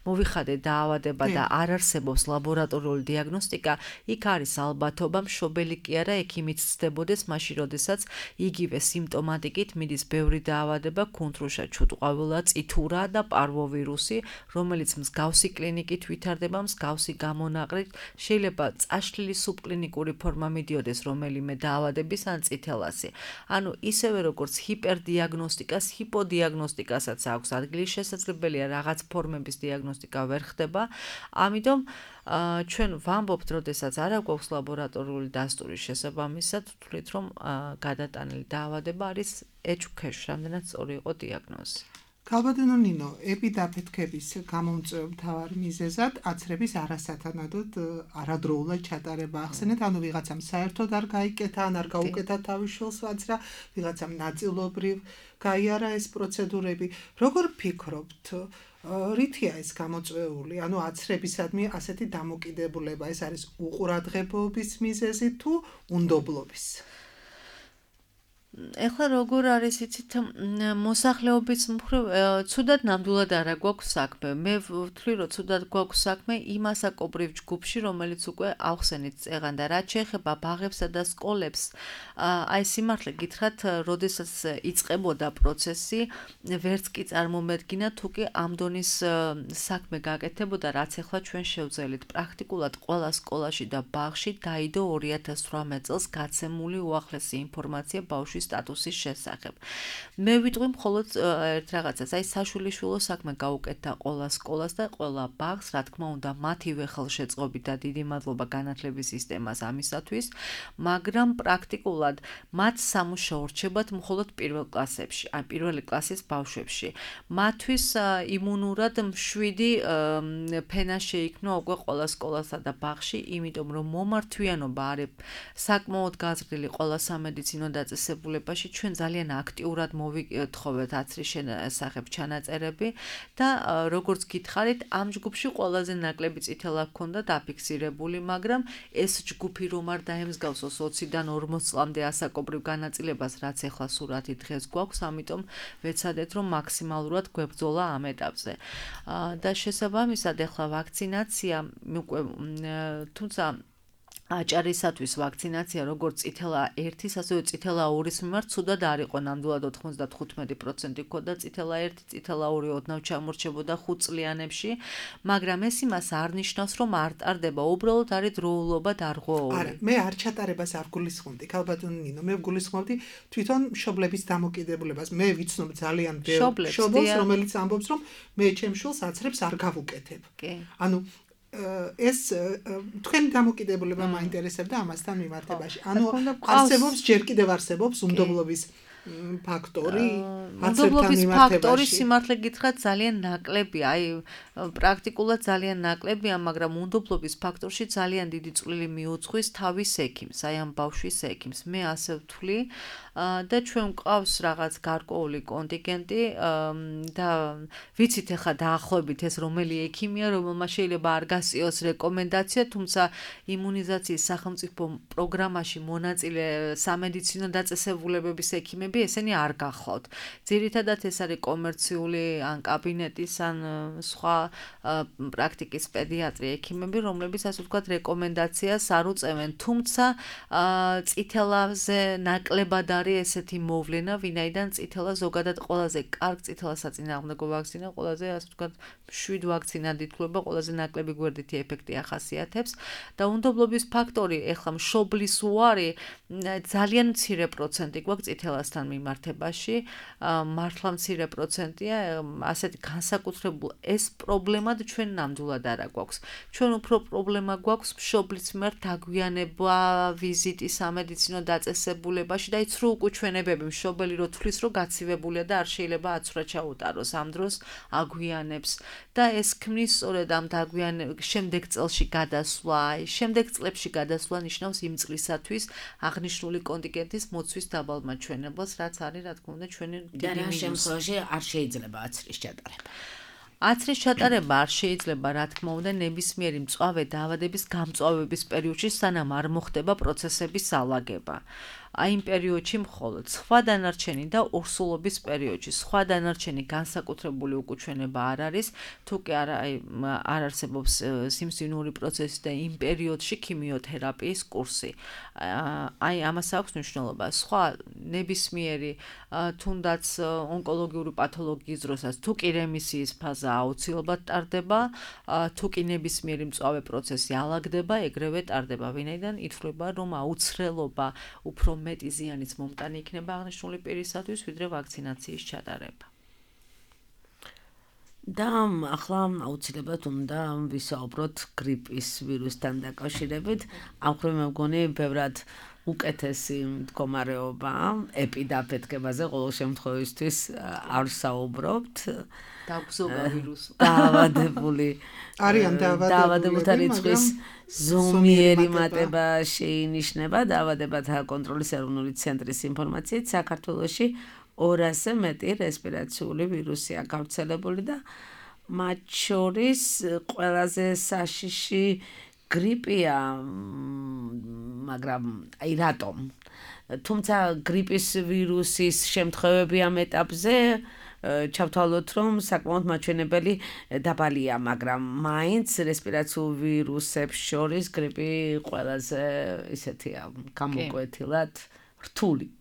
მოვიხადე დაავადება და არ არსებობს ლაბორატორიული დიაგნოსტიკა, იქ არის ალბათობა მშობელი კი არა ექიმით ცდებოდეს, მაშინ როდესაც იგივე სიმპტომატიკით მიდის ბევრი დაავადება, კუნთრუშა, ჩუტყვავილა, წითურა და პარვოვირუსი, რომელიც მსგავსი კლინიკით ვითარდება, მსგავსი გამონაყრით, შეიძლება წაშლილი სუბკლინიკური ფორმა მიდიოდეს რომელიმე დაავადების ან წითელასი. ანუ ისევე როგორც ჰიპერდიაგნოსტიკას, ჰიპოდიაგნოსტიკასაც აქვს ადგილი, შესაძლებელია რაღაც ფორმების დიაგნოსტიკა ვერ ხდება. ამიტომ ჩვენ ვამბობთ, როდესაც არ აქვს ლაბორატორიული დასტურის შესაბამისად, ვთვლით, რომ გადატანილი დაავადება არის ეჭვქვეშ, რამდენად სწორი იყო დიაგნოზი. ქალბატონო ნინო, ეპიდაფეთქების გამომწვევ მთავარ მიზეზად აცრების არასათანადოდ არადროულად ჩატარება ახსენეთ, ანუ ვიღაცამ საერთოდ არ გაიკეთა, ან არ გაუკეთა თავის შვილს ვაცრა, ვიღაცამ ნაწილობრივ გაიარა ეს პროცედურები. როგორ ფიქრობთ, რითია ეს გამოწვეული, ანუ აცრებისადმი ასეთი დამოკიდებულება, ეს არის უყურადღებობის მიზეზი თუ უნდობლობის? ეხლა როგორ არის იცით, მოსახლეობის მხრივ ცუდად ნამდვილად არა გვაქვს საქმე. მე ვთვლი, რომ ცუდად გვაქვს საქმე იმ ასაკობრივ ჯგუფში, რომელიც უკვე ავხსენით წეღან და რაც შეეხება ბაღებსა და სკოლებს, აი სიმართლე გითხრათ, როდესაც იწყებოდა პროცესი, ვერც კი წარმომედგინა, თუ კი ამ დონის საქმე გაკეთებოდა, რაც ახლა ჩვენ შევძელით. პრაქტიკულად ყველა სკოლაში და ბაღში დაიდო ორი ათას თვრამეტ წელს გაცემული უახლესი ინფორმაცია ბავშვის მათთვის სტატუსის შესახებ. მე ვიტყვი მხოლოდ ერთ რაღაცას, აი საშვილიშვილო საქმე გაუკეთდა ყველა სკოლას და ყველა ბაღს, რა თქმა უნდა, მათივე ხელშეწყობით და დიდი მადლობა განათლების სისტემას ამისათვის, მაგრამ პრაქტიკულად მათ სამუშაო რჩებათ მხოლოდ პირველ კლასებში, ან პირველი კლასის ბავშვებში. მათთვის იმუნურად მშვიდი ფენა შეიქმნა უკვე ყველა სკოლასა და ბაღში, იმიტომ რომ მომართვიანობა არის საკმაოდ გაზრდილი ყველა სამედიცინო დაწესებულებაში, ჩვენ ძალიან აქტიურად მოვითხოვეთ აცრის შესახებ ჩანაწერები და როგორც გითხარით, ამ ჯგუფში ყველაზე ნაკლები წითელა ჰქონდა დაფიქსირებული, მაგრამ ეს ჯგუფი რომ არ დაემსგავსოს ოციდან ორმოც წლამდე ასაკობრივ განაწილებას, რაც ეხლა სურათი დღეს გვაქვს, ამიტომ ვეცადეთ, რომ მაქსიმალურად გვებრძოლა ამ ეტაპზე. და შესაბამისად, ეხლა ვაქცინაცია, უკვე თუმცა აჭარისათვის ვაქცინაცია როგორც წითელა ერთის, ასევე წითელა ორის მიმართ ცუდად არ იყო, ნამდვილად ოცდათხუთმეტი პროცენტი ჰქონდა წითელა ერთი, წითელა ორი ოდნავ ჩამორჩებოდა ხუთ წლიანებში, მაგრამ ეს იმას არ ნიშნავს, რომ არ ტარდება, უბრალოდ არის დროულობა დარღვეული. არა, მე არ ჩატარებას არ გულისხმობდი, ქალბატონი ნინო, მე გულისხმობდი თვითონ მშობლების დამოკიდებულებას. მე ვიცნობ ძალიან ბევრ მშობელს, რომელიც ამბობს, რომ მე ჩემ შვილს აცრებს არ გავუკეთებ. ანუ ეს თქვენი დამოკიდებულება მაინტერესებდა ამასთან მიმართებაში. ანუ არსებობს ჯერ კიდევ არსებობს უნდობლობის ფაქტორი, უნდობლობის ფაქტორი სიმართლე გითხრათ ძალიან ნაკლებია, აი პრაქტიკულად ძალიან ნაკლებია, მაგრამ უნდობლობის ფაქტორში ძალიან დიდი წვლილი მიუძღვის თავის ექიმს, აი ამ ბავშვის ექიმს. მე ასე ვთვლი და ჩვენ გვყავს რაღაც გარკვეული კონტინგენტი და ვიცით ახლა დაახლოებით ეს რომელი ექიმია, რომელმაც შეიძლება არ გასწიოს რეკომენდაცია, თუმცა იმუნიზაციის სახელმწიფო პროგრამაში მონაწილე სამედიცინო დაწესებულებების ექიმები ესენი არ გახლავთ. ძირითადად ეს არის კომერციული ან კაბინეტის ან სხვა პრაქტიკის პედიატრი ექიმები, რომლებიც ასე ვთქვათ რეკომენდაციას არ უწევენ, თუმცა წითელაზე ნაკლებად არის ესეთი მოვლენა, ვინაიდან წითელა ზოგადად ყველაზე კარგ წითელასაწინააღმდეგო ვაქცინა, ყველაზე ასე ვთქვათ შვიდ ვაქცინად ითვლება, ყველაზე ნაკლები გვერდითი ეფექტი ახასიათებს და უნდობლობის ფაქტორი, ეხლა მშობლის უარი ძალიან მცირე პროცენტი გვაქვს წითელასთან მიმართებაში, მართლა მცირე პროცენტია, ასეთი განსაკუთრებულ ეს პრობლემად ჩვენ ნამდვილად არა გვაქვს. ჩვენ უფრო პრობლემა გვაქვს მშობლის მიმართ დაგვიანება, ვიზიტი სამედიცინო დაწესებულებაში და იცრუ უკუჩვენებები, მშობელი რო თვლის, რომ გაცივებულია და არ შეიძლება აცვრა ჩაუტაროს, ამ დროს აგვიანებს და ეს ქმნის სწორედ ამ დაგვიანების შემდეგ წელში გადასვლა, შემდეგ წლებში გადასვლა ნიშნავს იმ წლისათვის აღნიშნული კონტინგენტის მოცვის დაბალმაჩვენებლს, რაც არის რა თქმა უნდა ჩვენი დიდი მინუსი. და რა შემთხვევაში არ შეიძლება აცრის ჩატარება. აცრის ჩატარება არ შეიძლება, რა თქმა უნდა, ნებისმიერი მწვავე დაავადების გამწვავების პერიოდში, სანამ არ მოხდება პროცესების ალაგება. აი იმ პერიოდში მხოლოდ სხვა დანარჩენი და ორსულობის პერიოდში სხვა დანარჩენი განსაკუთრებული უკუჩვენება არ არის, თუ კი არ არ არსებობს სიმსივნური პროცესი და იმ პერიოდში ქიმიოთერაპიის კურსი. აი ამას აქვს მნიშვნელობა. სხვა ნებისმიერი თუნდაც ონკოლოგიური პათოლოგიის დროსაც თუ კი რემისიის ფაზა აუცილებლად ტარდება, თუ კი ნებისმიერი მწვავე პროცესი ალაგდება, ეგრევე ტარდება, ვინაიდან ითვლება, რომ აუცილებლობა უფრო მეტი ზიანის მომტანი იქნება აღნიშნული პირისათვის, ვიდრე ვაქცინაციის ჩატარება. და ახლა აუცილებლად უნდა ვისაუბროთ გრიპის ვირუსთან დაკავშირებით. ამ ხრივ მე მგონი ბევრად უკეთესი მდგომარეობა ეპიდაფეთქებაზე ყოველ შემთხვევისთვის არ საუბრობთ. დაგზოგა ვირუსი. დაავადებული არიან დაავადებულთა რიცხვის ზომიერი მატება შეინიშნება დაავადებათა კონტროლის ეროვნული ცენტრის ინფორმაციით საქართველოში ორასზე მეტი რესპირაციული ვირუსია გავრცელებული და მათ შორის ყველაზე საშიში გრიპია, მაგრამ აი რატომ? თუმცა გრიპის ვირუსის შემთხვევები ამ ეტაპზე ჩავთვალოთ, რომ საკმაოდ მაჩვენებელი დაბალია, მაგრამ მაინც რესპირაციულ ვირუსებს შორის გრიპი ყველაზე ისეთია, გამოკვეთილად რთული.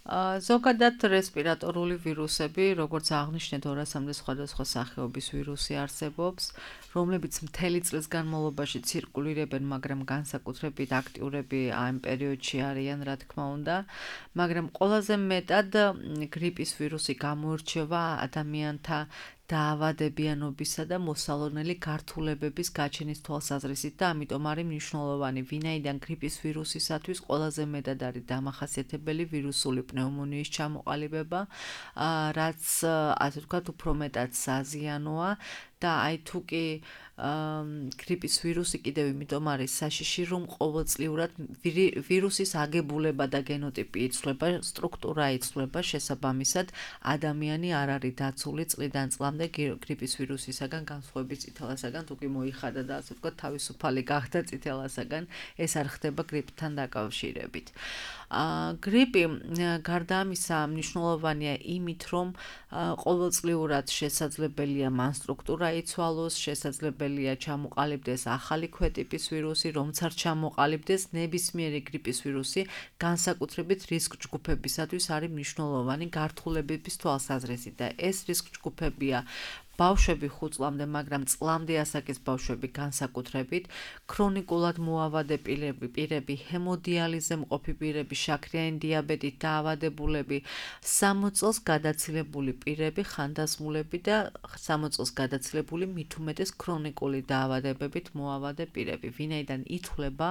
ზოგადად რესპირატორული ვირუსები, როგორც აღნიშნეთ, ორასამდე სხვადასხვა სახეობის ვირუსი არსებობს, რომლებიც მთელი წლის განმავლობაში ცირკულირებენ, მაგრამ განსაკუთრებით აქტიურები ამ პერიოდში არიან, რა თქმა უნდა, მაგრამ ყველაზე მეტად გრიპის ვირუსი გამოირჩევა ადამიანთა დაავადებიანობისა და მოსალონელი გართულებების გაჩენის თვალსაზრისით და ამიტომ არის მნიშვნელოვანი, ვინაიდან გრიპის ვირუსისათვის ყველაზე მეტად არის დამახასიათებელი ვირუსული პნეუმონიის ჩამოყალიბება, რაც ასე ვთქვათ, უფრო მეტად საზიანოა და აი თუ კი გრიპის ვირუსი კიდევ იმიტომ არის საშიში, რომ ყოველწლიურად ვირუსის აგებულება და გენოტიპი იცვლება, სტრუქტურა იცვლება, შესაბამისად ადამიანი არ არის დაცული წლიდან წლამდე გრიპის ვირუსისაგან განსხვავებით წითელასაგან, თუ კი მოიხადა და ასე ვთქვათ, თავისუფალი გახდა წითელასაგან, ეს არ ხდება გრიპთან დაკავშირებით. გრიპი გარდა ამისა მნიშვნელოვანია იმით, რომ ყოველწლიურად შესაძლებელია მან სტრუქტურა იცვალოს, შესაძლებელია ჩამოყალიბდეს ახალი ქვეტიპის ვირუსი, რომც არ ჩამოყალიბდეს ნებისმიერი გრიპის ვირუსი, განსაკუთრებით რისკ ჯგუფებისათვის არის მნიშვნელოვანი გართულებების თვალსაზრისით და ეს რისკ ჯგუფებია ბავშვები ხუთ წლამდე, მაგრამ წლამდე ასაკის ბავშვები განსაკუთრებით, ქრონიკულად მოავადე პირები, ჰემოდიალიზზე მყოფი პირები, შაქრიანი დიაბეტით დაავადებულები, სამოც წელს გადაცილებული პირები, ხანდაზმულები და სამოც წელს გადაცილებული მით უმეტეს ქრონიკული დაავადებებით მოავადე პირები. ვინაიდან ითვლება,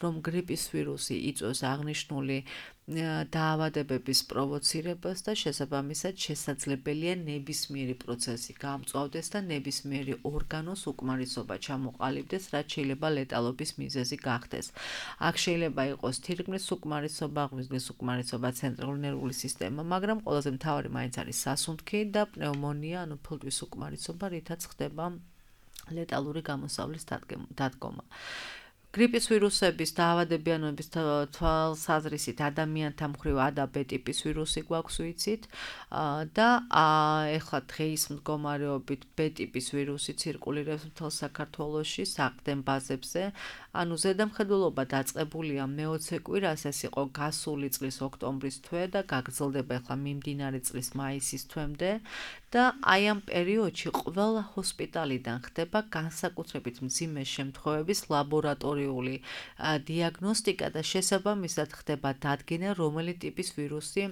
რომ გრიპის ვირუსი იწვევს აღნიშნული დაავადებების პროვოცირებას და შესაბამისად შესაძლებელია ნებისმიერი პროცესი გამწვავდეს და ნებისმიერი ორგანოს უკმარისობა ჩამოყალიბდეს, რაც შეიძლება ლეტალობის მიზეზი გახდეს. აქ შეიძლება იყოს თირკმლის უკმარისობა, ღვიძლის უკმარისობა, ცენტრალური ნერვული სისტემა, მაგრამ ყველაზე მთავარი მაინც არის სასუნთქი და პნეუმონია, ანუ ფილტვის უკმარისობა, რითაც ხდება ლეტალური გამოსავლის დადგომა. გრიპის ვირუსების დაავადებიანობის თვალსაზრისით ადამიანთა მხრივ A და B ტიპის ვირუსი გვაქვს ვიცით და ეხლა დღეის მდგომარეობით B ტიპის ვირუსი ცირკულირებს მთელ საქართველოში საყრდენ ბაზებზე, ანუ ზედამხედველობა დაწყებულია მეოცე კვირას, ეს იყო გასული წლის ოქტომბრის თვე და გაგრძელდება ეხლა მიმდინარე წლის მაისის თვემდე და აი ამ პერიოდში ყველა ჰოსპიტალიდან ხდება განსაკუთრებით მძიმე შემთხვევების ლაბორატორიული დიაგნოსტიკა და შესაბამისად ხდება დადგენა, რომელი ტიპის ვირუსი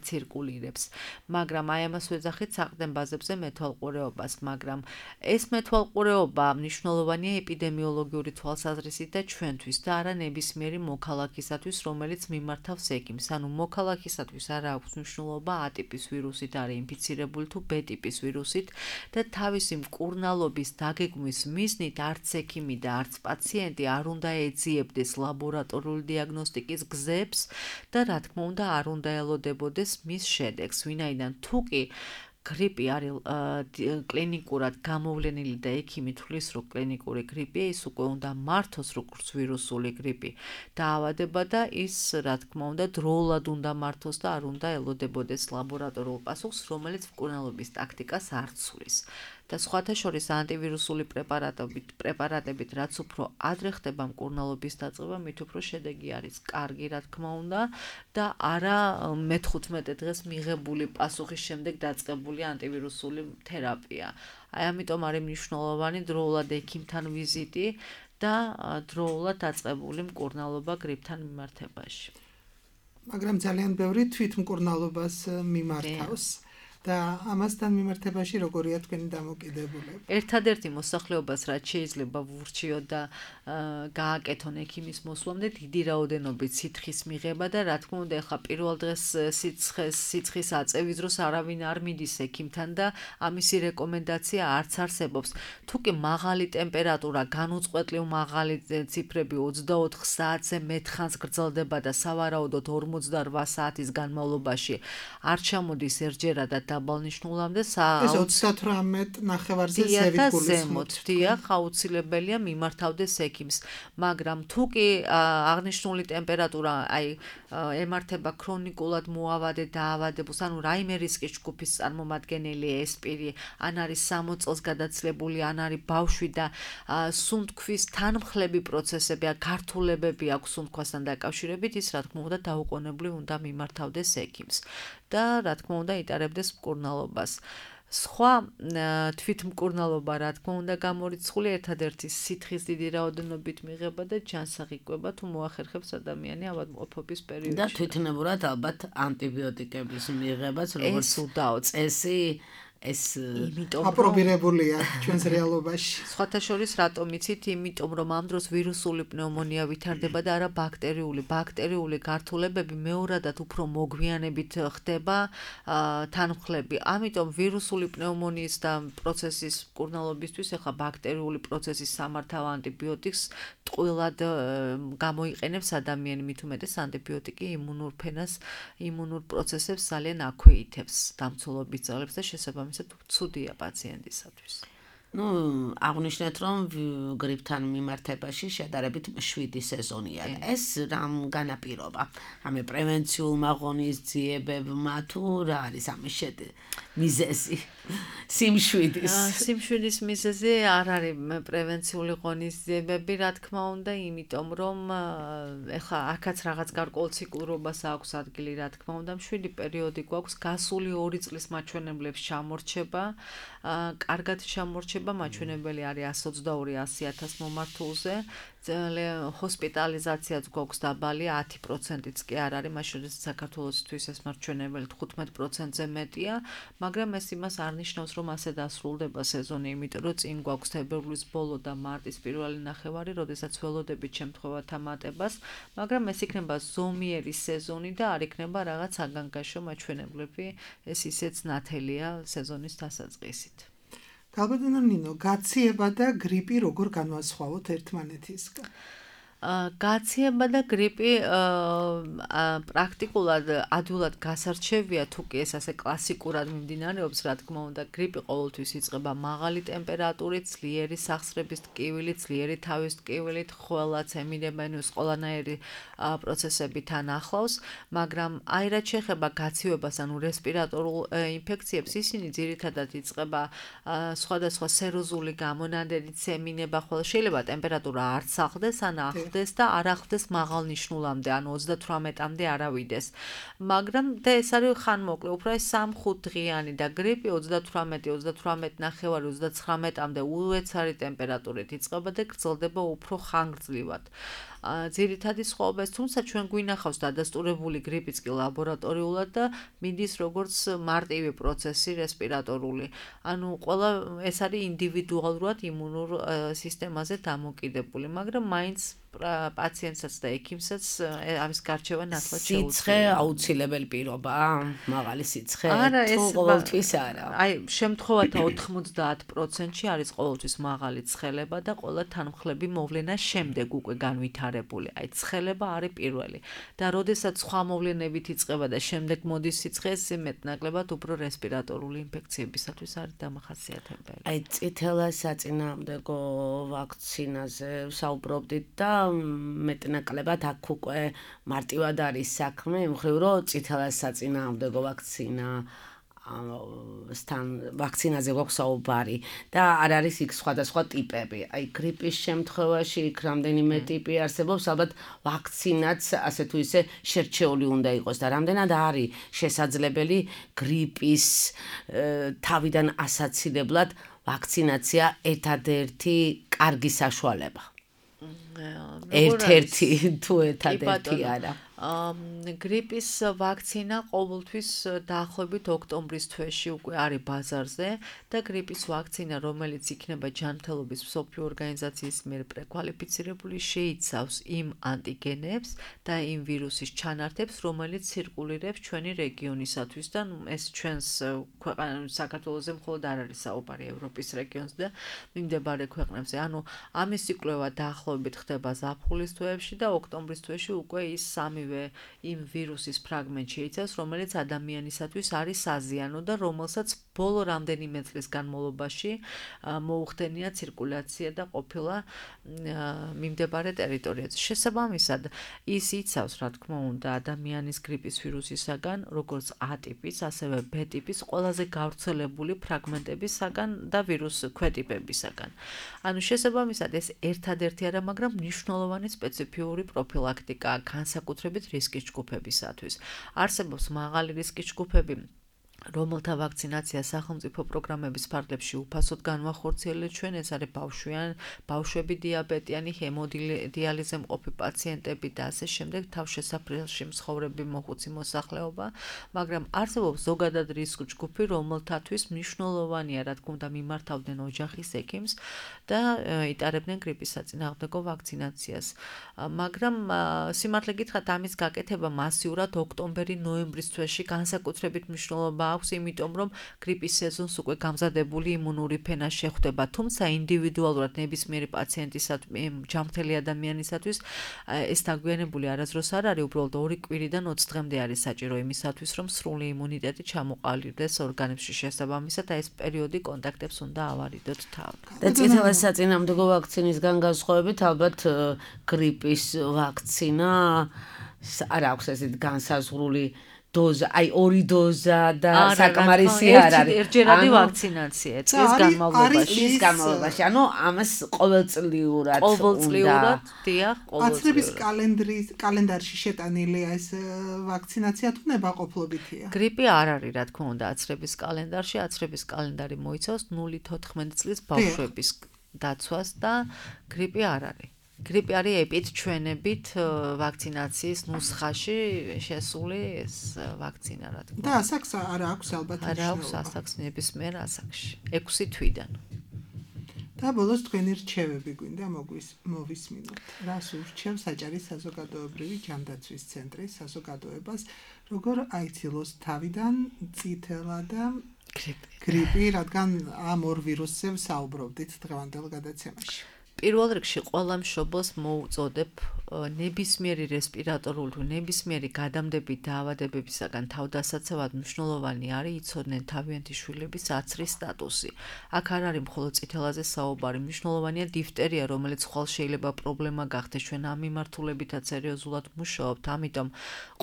ცირკულირებს. მაგრამ აი ამას ვეძახით საყრდენ ბაზებზე მეთვალყურეობას, მაგრამ ეს მეთვალყურეობა მნიშვნელოვანია ეპიდემიოლოგიური თვალსაზრისით და ჩვენთვის და არა ნებისმიერი მოქალაქისათვის, რომელიც მიმართავს ექიმს. ანუ მოქალაქისათვის არა აქვს მნიშვნელობა A ტიპის ვირუსით არის ინფიცირებული თუ B ტიპის ვირუსით და თავისი მკურნალობის დაგეგმვის მიზნით არც ექიმი და არც პაციენტი არ უნდა ეძიებდეს ლაბორატორიული დიაგნოსტიკის გზებს და რა თქმა უნდა არ უნდა ელოდებოდეს მის შედეგს, ვინაიდან თუ კი გრიპი არის კლინიკურად გამოვლენილი და ექიმი თვლის, რომ კლინიკური გრიპია, ის უკვე უნდა მართოს როგორც ვირუსული გრიპი დაავადება და ის, რა თქმა უნდა, დროულად უნდა მართოს და არ უნდა ელოდებოდეს ლაბორატორიულ პასუხს, რომელიც მკურნალობის ტაქტიკას არ ცვლის. და სხვათა შორის ანტივირუსული პრეპარატებით, პრეპარატებით, რაც უფრო ადრე ხდება მკურნალობის დაწყება, მით უფრო შედეგი არის კარგი, რა თქმა უნდა, და არა მეთერთმეტე დღეს მიღებული პასუხის შემდეგ დაწყებული ანტივირუსული თერაპია. აი ამიტომ არის მნიშვნელოვანი დროულად ექიმთან ვიზიტი და დროულად დაწყებული მკურნალობა გრიპთან მიმართებაში. მაგრამ ძალიან ბევრი თვითმკურნალობას მიმართავს. და ამასთან მიმართებაში როგორია თქვენი დამოკიდებულება? ერთადერთი მოსახლეობას, რაც შეიძლება ვურჩიოთ და გააკეთონ ექიმის მოსვლამდე, დიდი რაოდენობით სიცხის მიღება და რა თქმა უნდა, ახლა პირველ დღეს სიცხეს სიცხის აწევის დროს არავინ არ მიდის ექიმთან და ამისი რეკომენდაცია არც არსებობს. თუ კი მაღალი ტემპერატურა, განუწყვეტლივ მაღალი ციფრები ოცდაოთხ საათზე მეტხანს გრძელდება და სავარაუდოდ ორმოცდაოთხ საათის განმავლობაში არ ჩამოდის ერთჯერადად დაბალნიშნულამდე ეს ოცდათვრამეტ ნახევარზე ზევით გულისხმობთ. დიახ, აუცილებელია მიმართავდეს ექიმს, მაგრამ თუ კი აღნიშნული ტემპერატურა აი ემართება ქრონიკულად მოავადე დაავადებულს, ანუ რაიმე რისკის ჯგუფის წარმომადგენელი ეს პირი, ან არის სამოც წელს გადაცილებული, ან არის ბავშვი და სუნთქვის თანმხლები პროცესები, გართულებები აქვს სუნთქვასთან დაკავშირებით, ის რა თქმა უნდა დაუყოვნებლივ უნდა მიმართავდეს ექიმს და რა თქმა უნდა იტარებდეს მკურნალობას. სხვა თვითმკურნალობა რა თქმა უნდა გამორიცხული ერთადერთი სითხის დიდი რაოდენობით მიღება და ჯანსაღი თუ მოახერხებს ადამიანი ავადმყოფობის პერიოდში. და თვითნებურად ალბათ ანტიბიოტიკების მიღებაც როგორც წესი ეს აპრობირებულია ჩვენს რეალობაში. სხვათა შორის რატომ იცით? იმიტომ რომ ამ დროს ვირუსული პნევმონია ვითარდება და არა ბაქტერიული. ბაქტერიული გართულებები მეორადად უფრო მოგვიანებით ხდება თანმხლები. ამიტომ ვირუსული პნევმონიის და პროცესის მკურნალობისთვის ახლა ბაქტერიული პროცესის სამართავ ანტიბიოტიკს ტყუილად გამოიყენებს ადამიანი, მით უმეტეს ანტიბიოტიკი იმუნურ ფენას, იმუნურ პროცესებს ძალიან აქვეითებს, დამცველობის ძალებს და შესაბამისად ცუდია პაციენტისათვის. ნუ აღნიშნეთ რომ გრიპთან მიმართებაში შედარებით მშვიდი სეზონია. ეს რამ განაპირობა? ამე პრევენციულმა ღონისძიებებმა თუ რა არის ამის შედ მიზეზი? სიმშვიდის. სიმშვიდის მიზეზი არ არის პრევენციული ღონისძიებები, რა თქმა უნდა, იმიტომ რომ ეხლა აქაც რაღაც გარკვეულ ციკლურობას აქვს ადგილი, რა თქმა უნდა, მშვიდი პერიოდი გვაქვს, გასული ორი წლის მაჩვენებლებს ჩამორჩება, კარგად ჩამორჩება, მაჩვენებელი არის εκατს ოცდაორი ასი ათას მომართულზე, ჰოსპიტალიზაციაც გვაქვს დაბალი, ათი პროცენტიც კი არ არის, მაშინ საქართველოსთვის ეს მაჩვენებელი თხუთმეტ პროცენტზე მეტია, მაგრამ ეს იმას არ ნიშნავს, რომ ასე დასრულდება სეზონი, იმიტომ რომ წინ გვაქვს თებერვლის ბოლო და მარტის პირველი ნახევარი, როდესაც ველოდებით შემთხვევათა მატებას, მაგრამ ეს იქნება ზომიერი სეზონი და არ იქნება რაღაც საგანგაშო მაჩვენებლები, ეს ისეც ნათელია სეზონის დასაწყისით. გალბატონო ნინო, გაციება და გრიპი როგორ განვასხვაოთ ერთმანეთისგან? გაციება და გრიპი პრაქტიკულად ადვილად გასარჩევია, თუ კი ეს ასე კლასიკურად მიმდინარეობს, რა თქმა უნდა, გრიპი ყოველთვის იწყება მაღალი ტემპერატურით, ძლიერი სახსრების ტკივილით, ძლიერი თავის ტკივილით, ხველაც ემირებენ ყველანაირი პროცესები თან ახლავს, მაგრამ აი რაც შეეხება გაცივებას, ანუ რესპირატორულ ინფექციებს, ისინი ძირითადად იწყება სხვადასხვა სეროზული გამონადენით, ემინება, ხოლო შეიძლება ტემპერატურა არც ახდეს, ან და არ ახლდეს მაღალნიშნულამდე, ანუ ოცდათვრამეტამდე არავიდეს. მაგრამ და ეს არის ხანმოკლე, უფრო ეს სამ-ხუთ დღიანი და გრიპი ოცდათვრამეტი, ოცდათვრამეტი ნახევარი, ოცდაცხრამეტამდე უეცარი ტემპერატურით იწყება და გრძელდება უფრო ხანგრძლივად. ძირითადი სხვაობა ეს, თუმცა ჩვენ გვინახავს დადასტურებული გრიპიც კი ლაბორატორიულად და მიდის როგორც მარტივი პროცესი რესპირატორული. ანუ ყველა ეს არის ინდივიდუალურად იმუნურ სისტემაზე დამოკიდებული, მაგრამ მაინც პაციენტსაც და ექიმსაც ამის გარჩევა ნათლად შეუძლია. სიცხე აუცილებელი პირობაა, მაღალი სიცხე თუ ყოველთვის არა. აი, შემთხვევათა ოთხმოცდაათ პროცენტში არის ყოველთვის მაღალი ცხელება და ყველა თანმხლები მოვლენას შემდეგ უკვე განვითარებული. აი, ცხელება არის პირველი. და როდესაც სხვა მოვლენებით იწყება და შემდეგ მოდის სიცხე, ეს მეტნაკლებად უფრო რესპირატორული ინფექციებისათვის არის დამახასიათებელი. აი, წითელა საწინააღმდეგო ვაქცინაზე საუბრობდით და მეტნაკლებად აქ უკვე მარტივად არის საქმე, იმხრივ რომ წითელა საწინააღმდეგო ვაქცინა სთან ვაქცინაზე გვაქვს საუბარი და არ არის იქ სხვადასხვა ტიპები. აი გრიპის შემთხვევაში იქ რამდენიმე ტიპი არსებობს, ალბათ ვაქცინაც ასე თუ ისე შერჩეული უნდა იყოს და რამდენად არის შესაძლებელი გრიპის თავიდან ასაცილებლად ვაქცინაცია ერთადერთი კარგი საშუალება. ერთ-ერთი თუ ერთადერთი არა. გრიპის ვაქცინა ყოველთვის დაახლოებით ოქტომბრის თვეში უკვე არის ბაზარზე და გრიპის ვაქცინა, რომელიც იქნება ჯანმრთელობის მსოფლიო ორგანიზაციის მიერ პრეკვალიფიცირებული, შეიცავს იმ ანტიგენებს და იმ ვირუსის ჩანართებს, რომელიც ცირკულირებს ჩვენი რეგიონისათვის და ეს ჩვენს ქვეყანაში საქართველოზე მხოლოდ არ არის საუბარი, ევროპის რეგიონს და მიმდებარე ქვეყნებზე. ანუ ამის იკვლევა დაახლოებით ხდება ზაფხულის თვეებში და ოქტომბრის თვეში უკვე ის სამი ყოველივე იმ ვირუსის ფრაგმენტში იცავს, რომელიც ადამიანისათვის არის საზიანო და რომელსაც ბოლო რამდენიმე წლის განმავლობაში მოუხდენია ცირკულაცია და ყოფილა მიმდებარე ტერიტორიაზე. შესაბამისად, ის იცავს, რა თქმა უნდა, ადამიანის გრიპის ვირუსისაგან, როგორც A ტიპის, ასევე B ტიპის ყველაზე გავრცელებული ფრაგმენტებისაგან და ვირუს ქვეტიპებისაგან. ანუ შესაბამისად, ეს ერთადერთი არა, მაგრამ მნიშვნელოვანი სპეციფიური პროფილაქტიკაა განსაკუთრებით რისკის ჯგუფებისათვის. არსებობს მაღალი რისკის ჯგუფები, რომელთა ვაქცინაცია სახელმწიფო პროგრამების ფარგლებში უფასოდ განვახორციელეთ ჩვენ, ეს არის ბავშვიან, ბავშვები დიაბეტიანი, ჰემოდიალიზზე მყოფი პაციენტები და ასე შემდეგ, თავშესაფრელში მცხოვრები მოხუცი მოსახლეობა, მაგრამ არსებობს ზოგადად რისკ ჯგუფი, რომელთათვის მნიშვნელოვანია, რა თქმა უნდა, მიმართავდნენ ოჯახის ექიმს და იტარებდნენ გრიპის საწინააღმდეგო ვაქცინაციას. მაგრამ სიმართლე გითხრათ, ამის გაკეთება მასიურად ოქტომბერი-ნოემბრის თვეში განსაკუთრებით მნიშვნელობა აქვს, იმიტომ რომ გრიპის სეზონს უკვე გამზადებული იმუნური ფენა შეხვდება, თუმცა ინდივიდუალურად ნებისმიერი პაციენტისათვის, ჯანმრთელი ადამიანისათვის ეს დაგვიანებული არასდროს არ არის, უბრალოდ ორი კვირიდან ოცი დღემდე არის საჭირო იმისათვის, რომ სრული იმუნიტეტი ჩამოყალიბდეს ორგანიზმში. შესაბამისად, ეს პერიოდი კონტაქტებს უნდა ავარიდოთ თავად. და წითელი საწინააღმდეგო ვაქცინისგან განსხვავებით, ალბათ გრიპის ვაქცინა არ აქვს ესეთ განსაზღვრული დოზა, აი ორი დოზა და საკმარისი არ არის. ერთჯერადი ვაქცინაცია წლის განმავლობაში. წლის განმავლობაში, ანუ ამას ყოველწლიურად უნდა. ყოველწლიურად, დიახ, ყოველწლიურად. აცრების კალენდრის კალენდარში შეტანილია ეს ვაქცინაცია თუ ნებაყოფლობითია? გრიპი არ არის, რა თქმა უნდა, აცრების კალენდარში. აცრების კალენდარი მოიცავს ნული თოთხმეტ წლის ბავშვების დაცვას და გრიპი არ არის. გრიპი არის ეპიდჩვენებით ვაქცინაციის ნუსხაში შესული ეს ვაქცინა, რა თქმა უნდა. და ასაკს არ აქვს ალბათ არ აქვს ასაკს ნებისმიერ ასაკში. ექვსი თვიდან. და ბოლოს თქვენი რჩევები გვინდა მოვისმინოთ. რას ურჩევს საჯარის საზოგადოებრივი ჯანდაცვის ცენტრი საზოგადოებას, როგორ აიცილოს თავიდან წითელა და გრიპი, რადგან ამ ორ ვირუსზე საუბრობდით დღევანდელ გადაცემაში. პირველ რიგში ყველა მშობელს მოუწოდებ ნებისმიერი რესპირატორული თუ ნებისმიერი გადამდები დაავადებებისაგან თავდასაცავად მნიშვნელოვანი არის იცოდნენ თავიანთი შვილების აცრის სტატუსი. აქ არ არის მხოლოდ წითელაზე საუბარი, მნიშვნელოვანია დიფტერია, რომელიც ხვალ შეიძლება პრობლემა გახდეს. ჩვენ ამ მიმართულებითაც სერიოზულად მუშაობთ, ამიტომ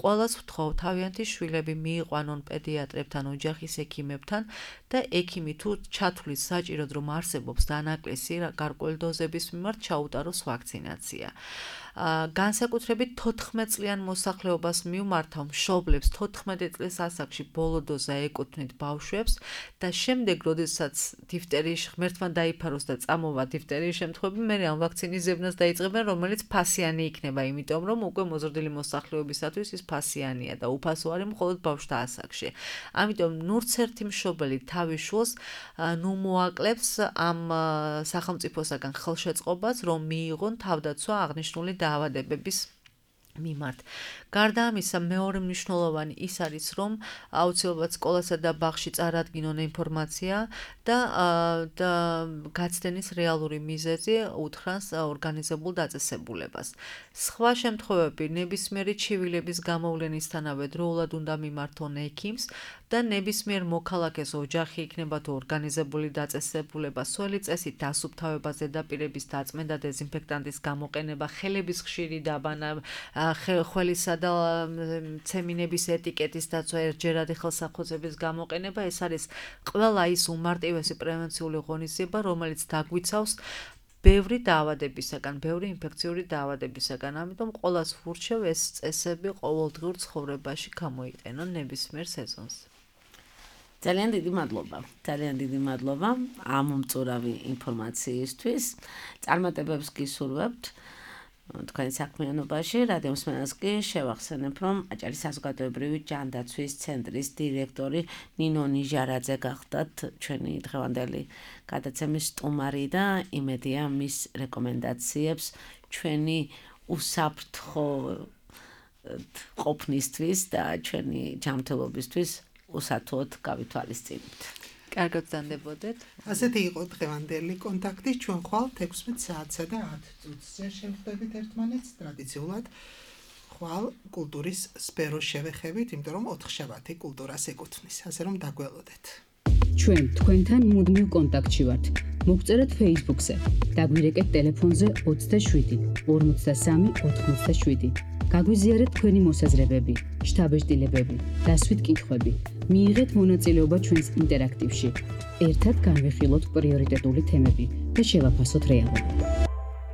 ყველას ვთხოვ თავიანთი შვილები მიიყვანონ პედიატრებთან, ოჯახის ექიმებთან და ექიმი თუ ჩათვლის საჭიროდ რომ არსებობს დანაკლისი გარკვეული დოზების მიმართ ჩაუტაროს ვაქცინაცია. განსაკუთრებით თოთხმეტ წლიან მოსახლეობას მივმართავ მშობლებს თოთხმეტი წლის ასაკში ბოლო დოზა ეკუთვნით ბავშვებს და შემდეგ როდესაც დიფტერიის ღმერთმა დაიფაროს და წამოვა დიფტერიის შემთხვევები, მე ამ ვაქცინის ზებნას დაიწყებენ, რომელიც ფასიანი იქნება, იმიტომ რომ უკვე მოზრდილი მოსახლეობისათვის ის ფასიანია და უფასო არის მხოლოდ ბავშვთა ასაკში. ამიტომ ნურც ერთი მშობელი თავის შვილს ნუ მოაკლებს ამ სახელმწიფოსაგან ხელშეწყობას, რომ მიიღონ თავდაცვა აღნიშნული დაავადებების მიმართ. გარდა ამისა, მეორე მნიშვნელოვანი ის არის, რომ აუცილებლად სკოლასა და ბაღში წარადგინონ ინფორმაცია და და გაცდენის რეალური მიზეზი უთხრას ორგანიზებულ დაწესებულებას. სხვა შემთხვევები ნებისმიერი ჩივილების გამოვლენისთანავე დროულად უნდა მიმართონ ექიმს და ნებისმიერ მოქალაქეს ოჯახი იქნება თუ ორგანიზებული დაწესებულება, სველი წესით დასუფთავება, ზედაპირების დაწმენდა, დეზინფექტანტის გამოყენება, ხელების ხშირი დაბანა, ხელისა და ცემინების ეტიკეტის დაცვა, ერთჯერადი ხელსაყრელების გამოყენება, ეს არის ყველა ის უმარტივესი პრევენციული ღონისძიება, რომელიც დაგვიცავს ბევრი დაავადებისაგან, ბევრი ინფექციური დაავადებისაგან. ამიტომ ყველას ვურჩევ ეს წესები ყოველდღიურ ცხოვრებაში გამოიყენონ ნებისმიერ სეზონს. ძალიან დიდი მადლობა. ძალიან დიდი მადლობა ამ მომწურავი ინფორმაციისთვის. წარმატებებს გისურვებთ თქვენ საქმიანობაში. რადიო მსმენელს კი შევახსენებ, რომ აჭარის საზოგადოებრივი ჯანდაცვის ცენტრის დირექტორი ნინო ნიჟარაძე გახდათ ჩვენი დღევანდელი გადაცემის სტუმარი და იმედია მის რეკომენდაციებს ჩვენი უსაფრთხო ყოფნისთვის და ჩვენი ჯანმრთელობისთვის უსათუოდ გავითვალისწინებთ. კარგად გძანდებოდეთ. ასეთი იყო დღევანდელი კონტაქტი. ჩვენ ხვალ ექვსმეტ საათსა და ათ წუთზე შევხვდებით ერთმანეთს ტრადიციულად ხვალ კულტურის სფეროს შევეხებით, იმიტომ რომ ოთხშაბათი კულტურას ეკუთვნის, ასე რომ დაგველოდეთ. ჩვენ თქვენთან მუდმივ კონტაქტში ვართ. მოგწერეთ Facebook-ზე, დაგვირეკეთ ტელეფონზე ოცდაშვიდი ორმოცდასამი ოთხმოცდაშვიდი. გაგვიზიარეთ თქვენი მოსაზრებები, შთაბეჭდილებები, დასვით კითხვები. მიიღეთ მონაწილეობა ჩვენს ინტერაქტივში. ერთად განვიხილოთ პრიორიტეტული თემები და შევაფასოთ რეალობა.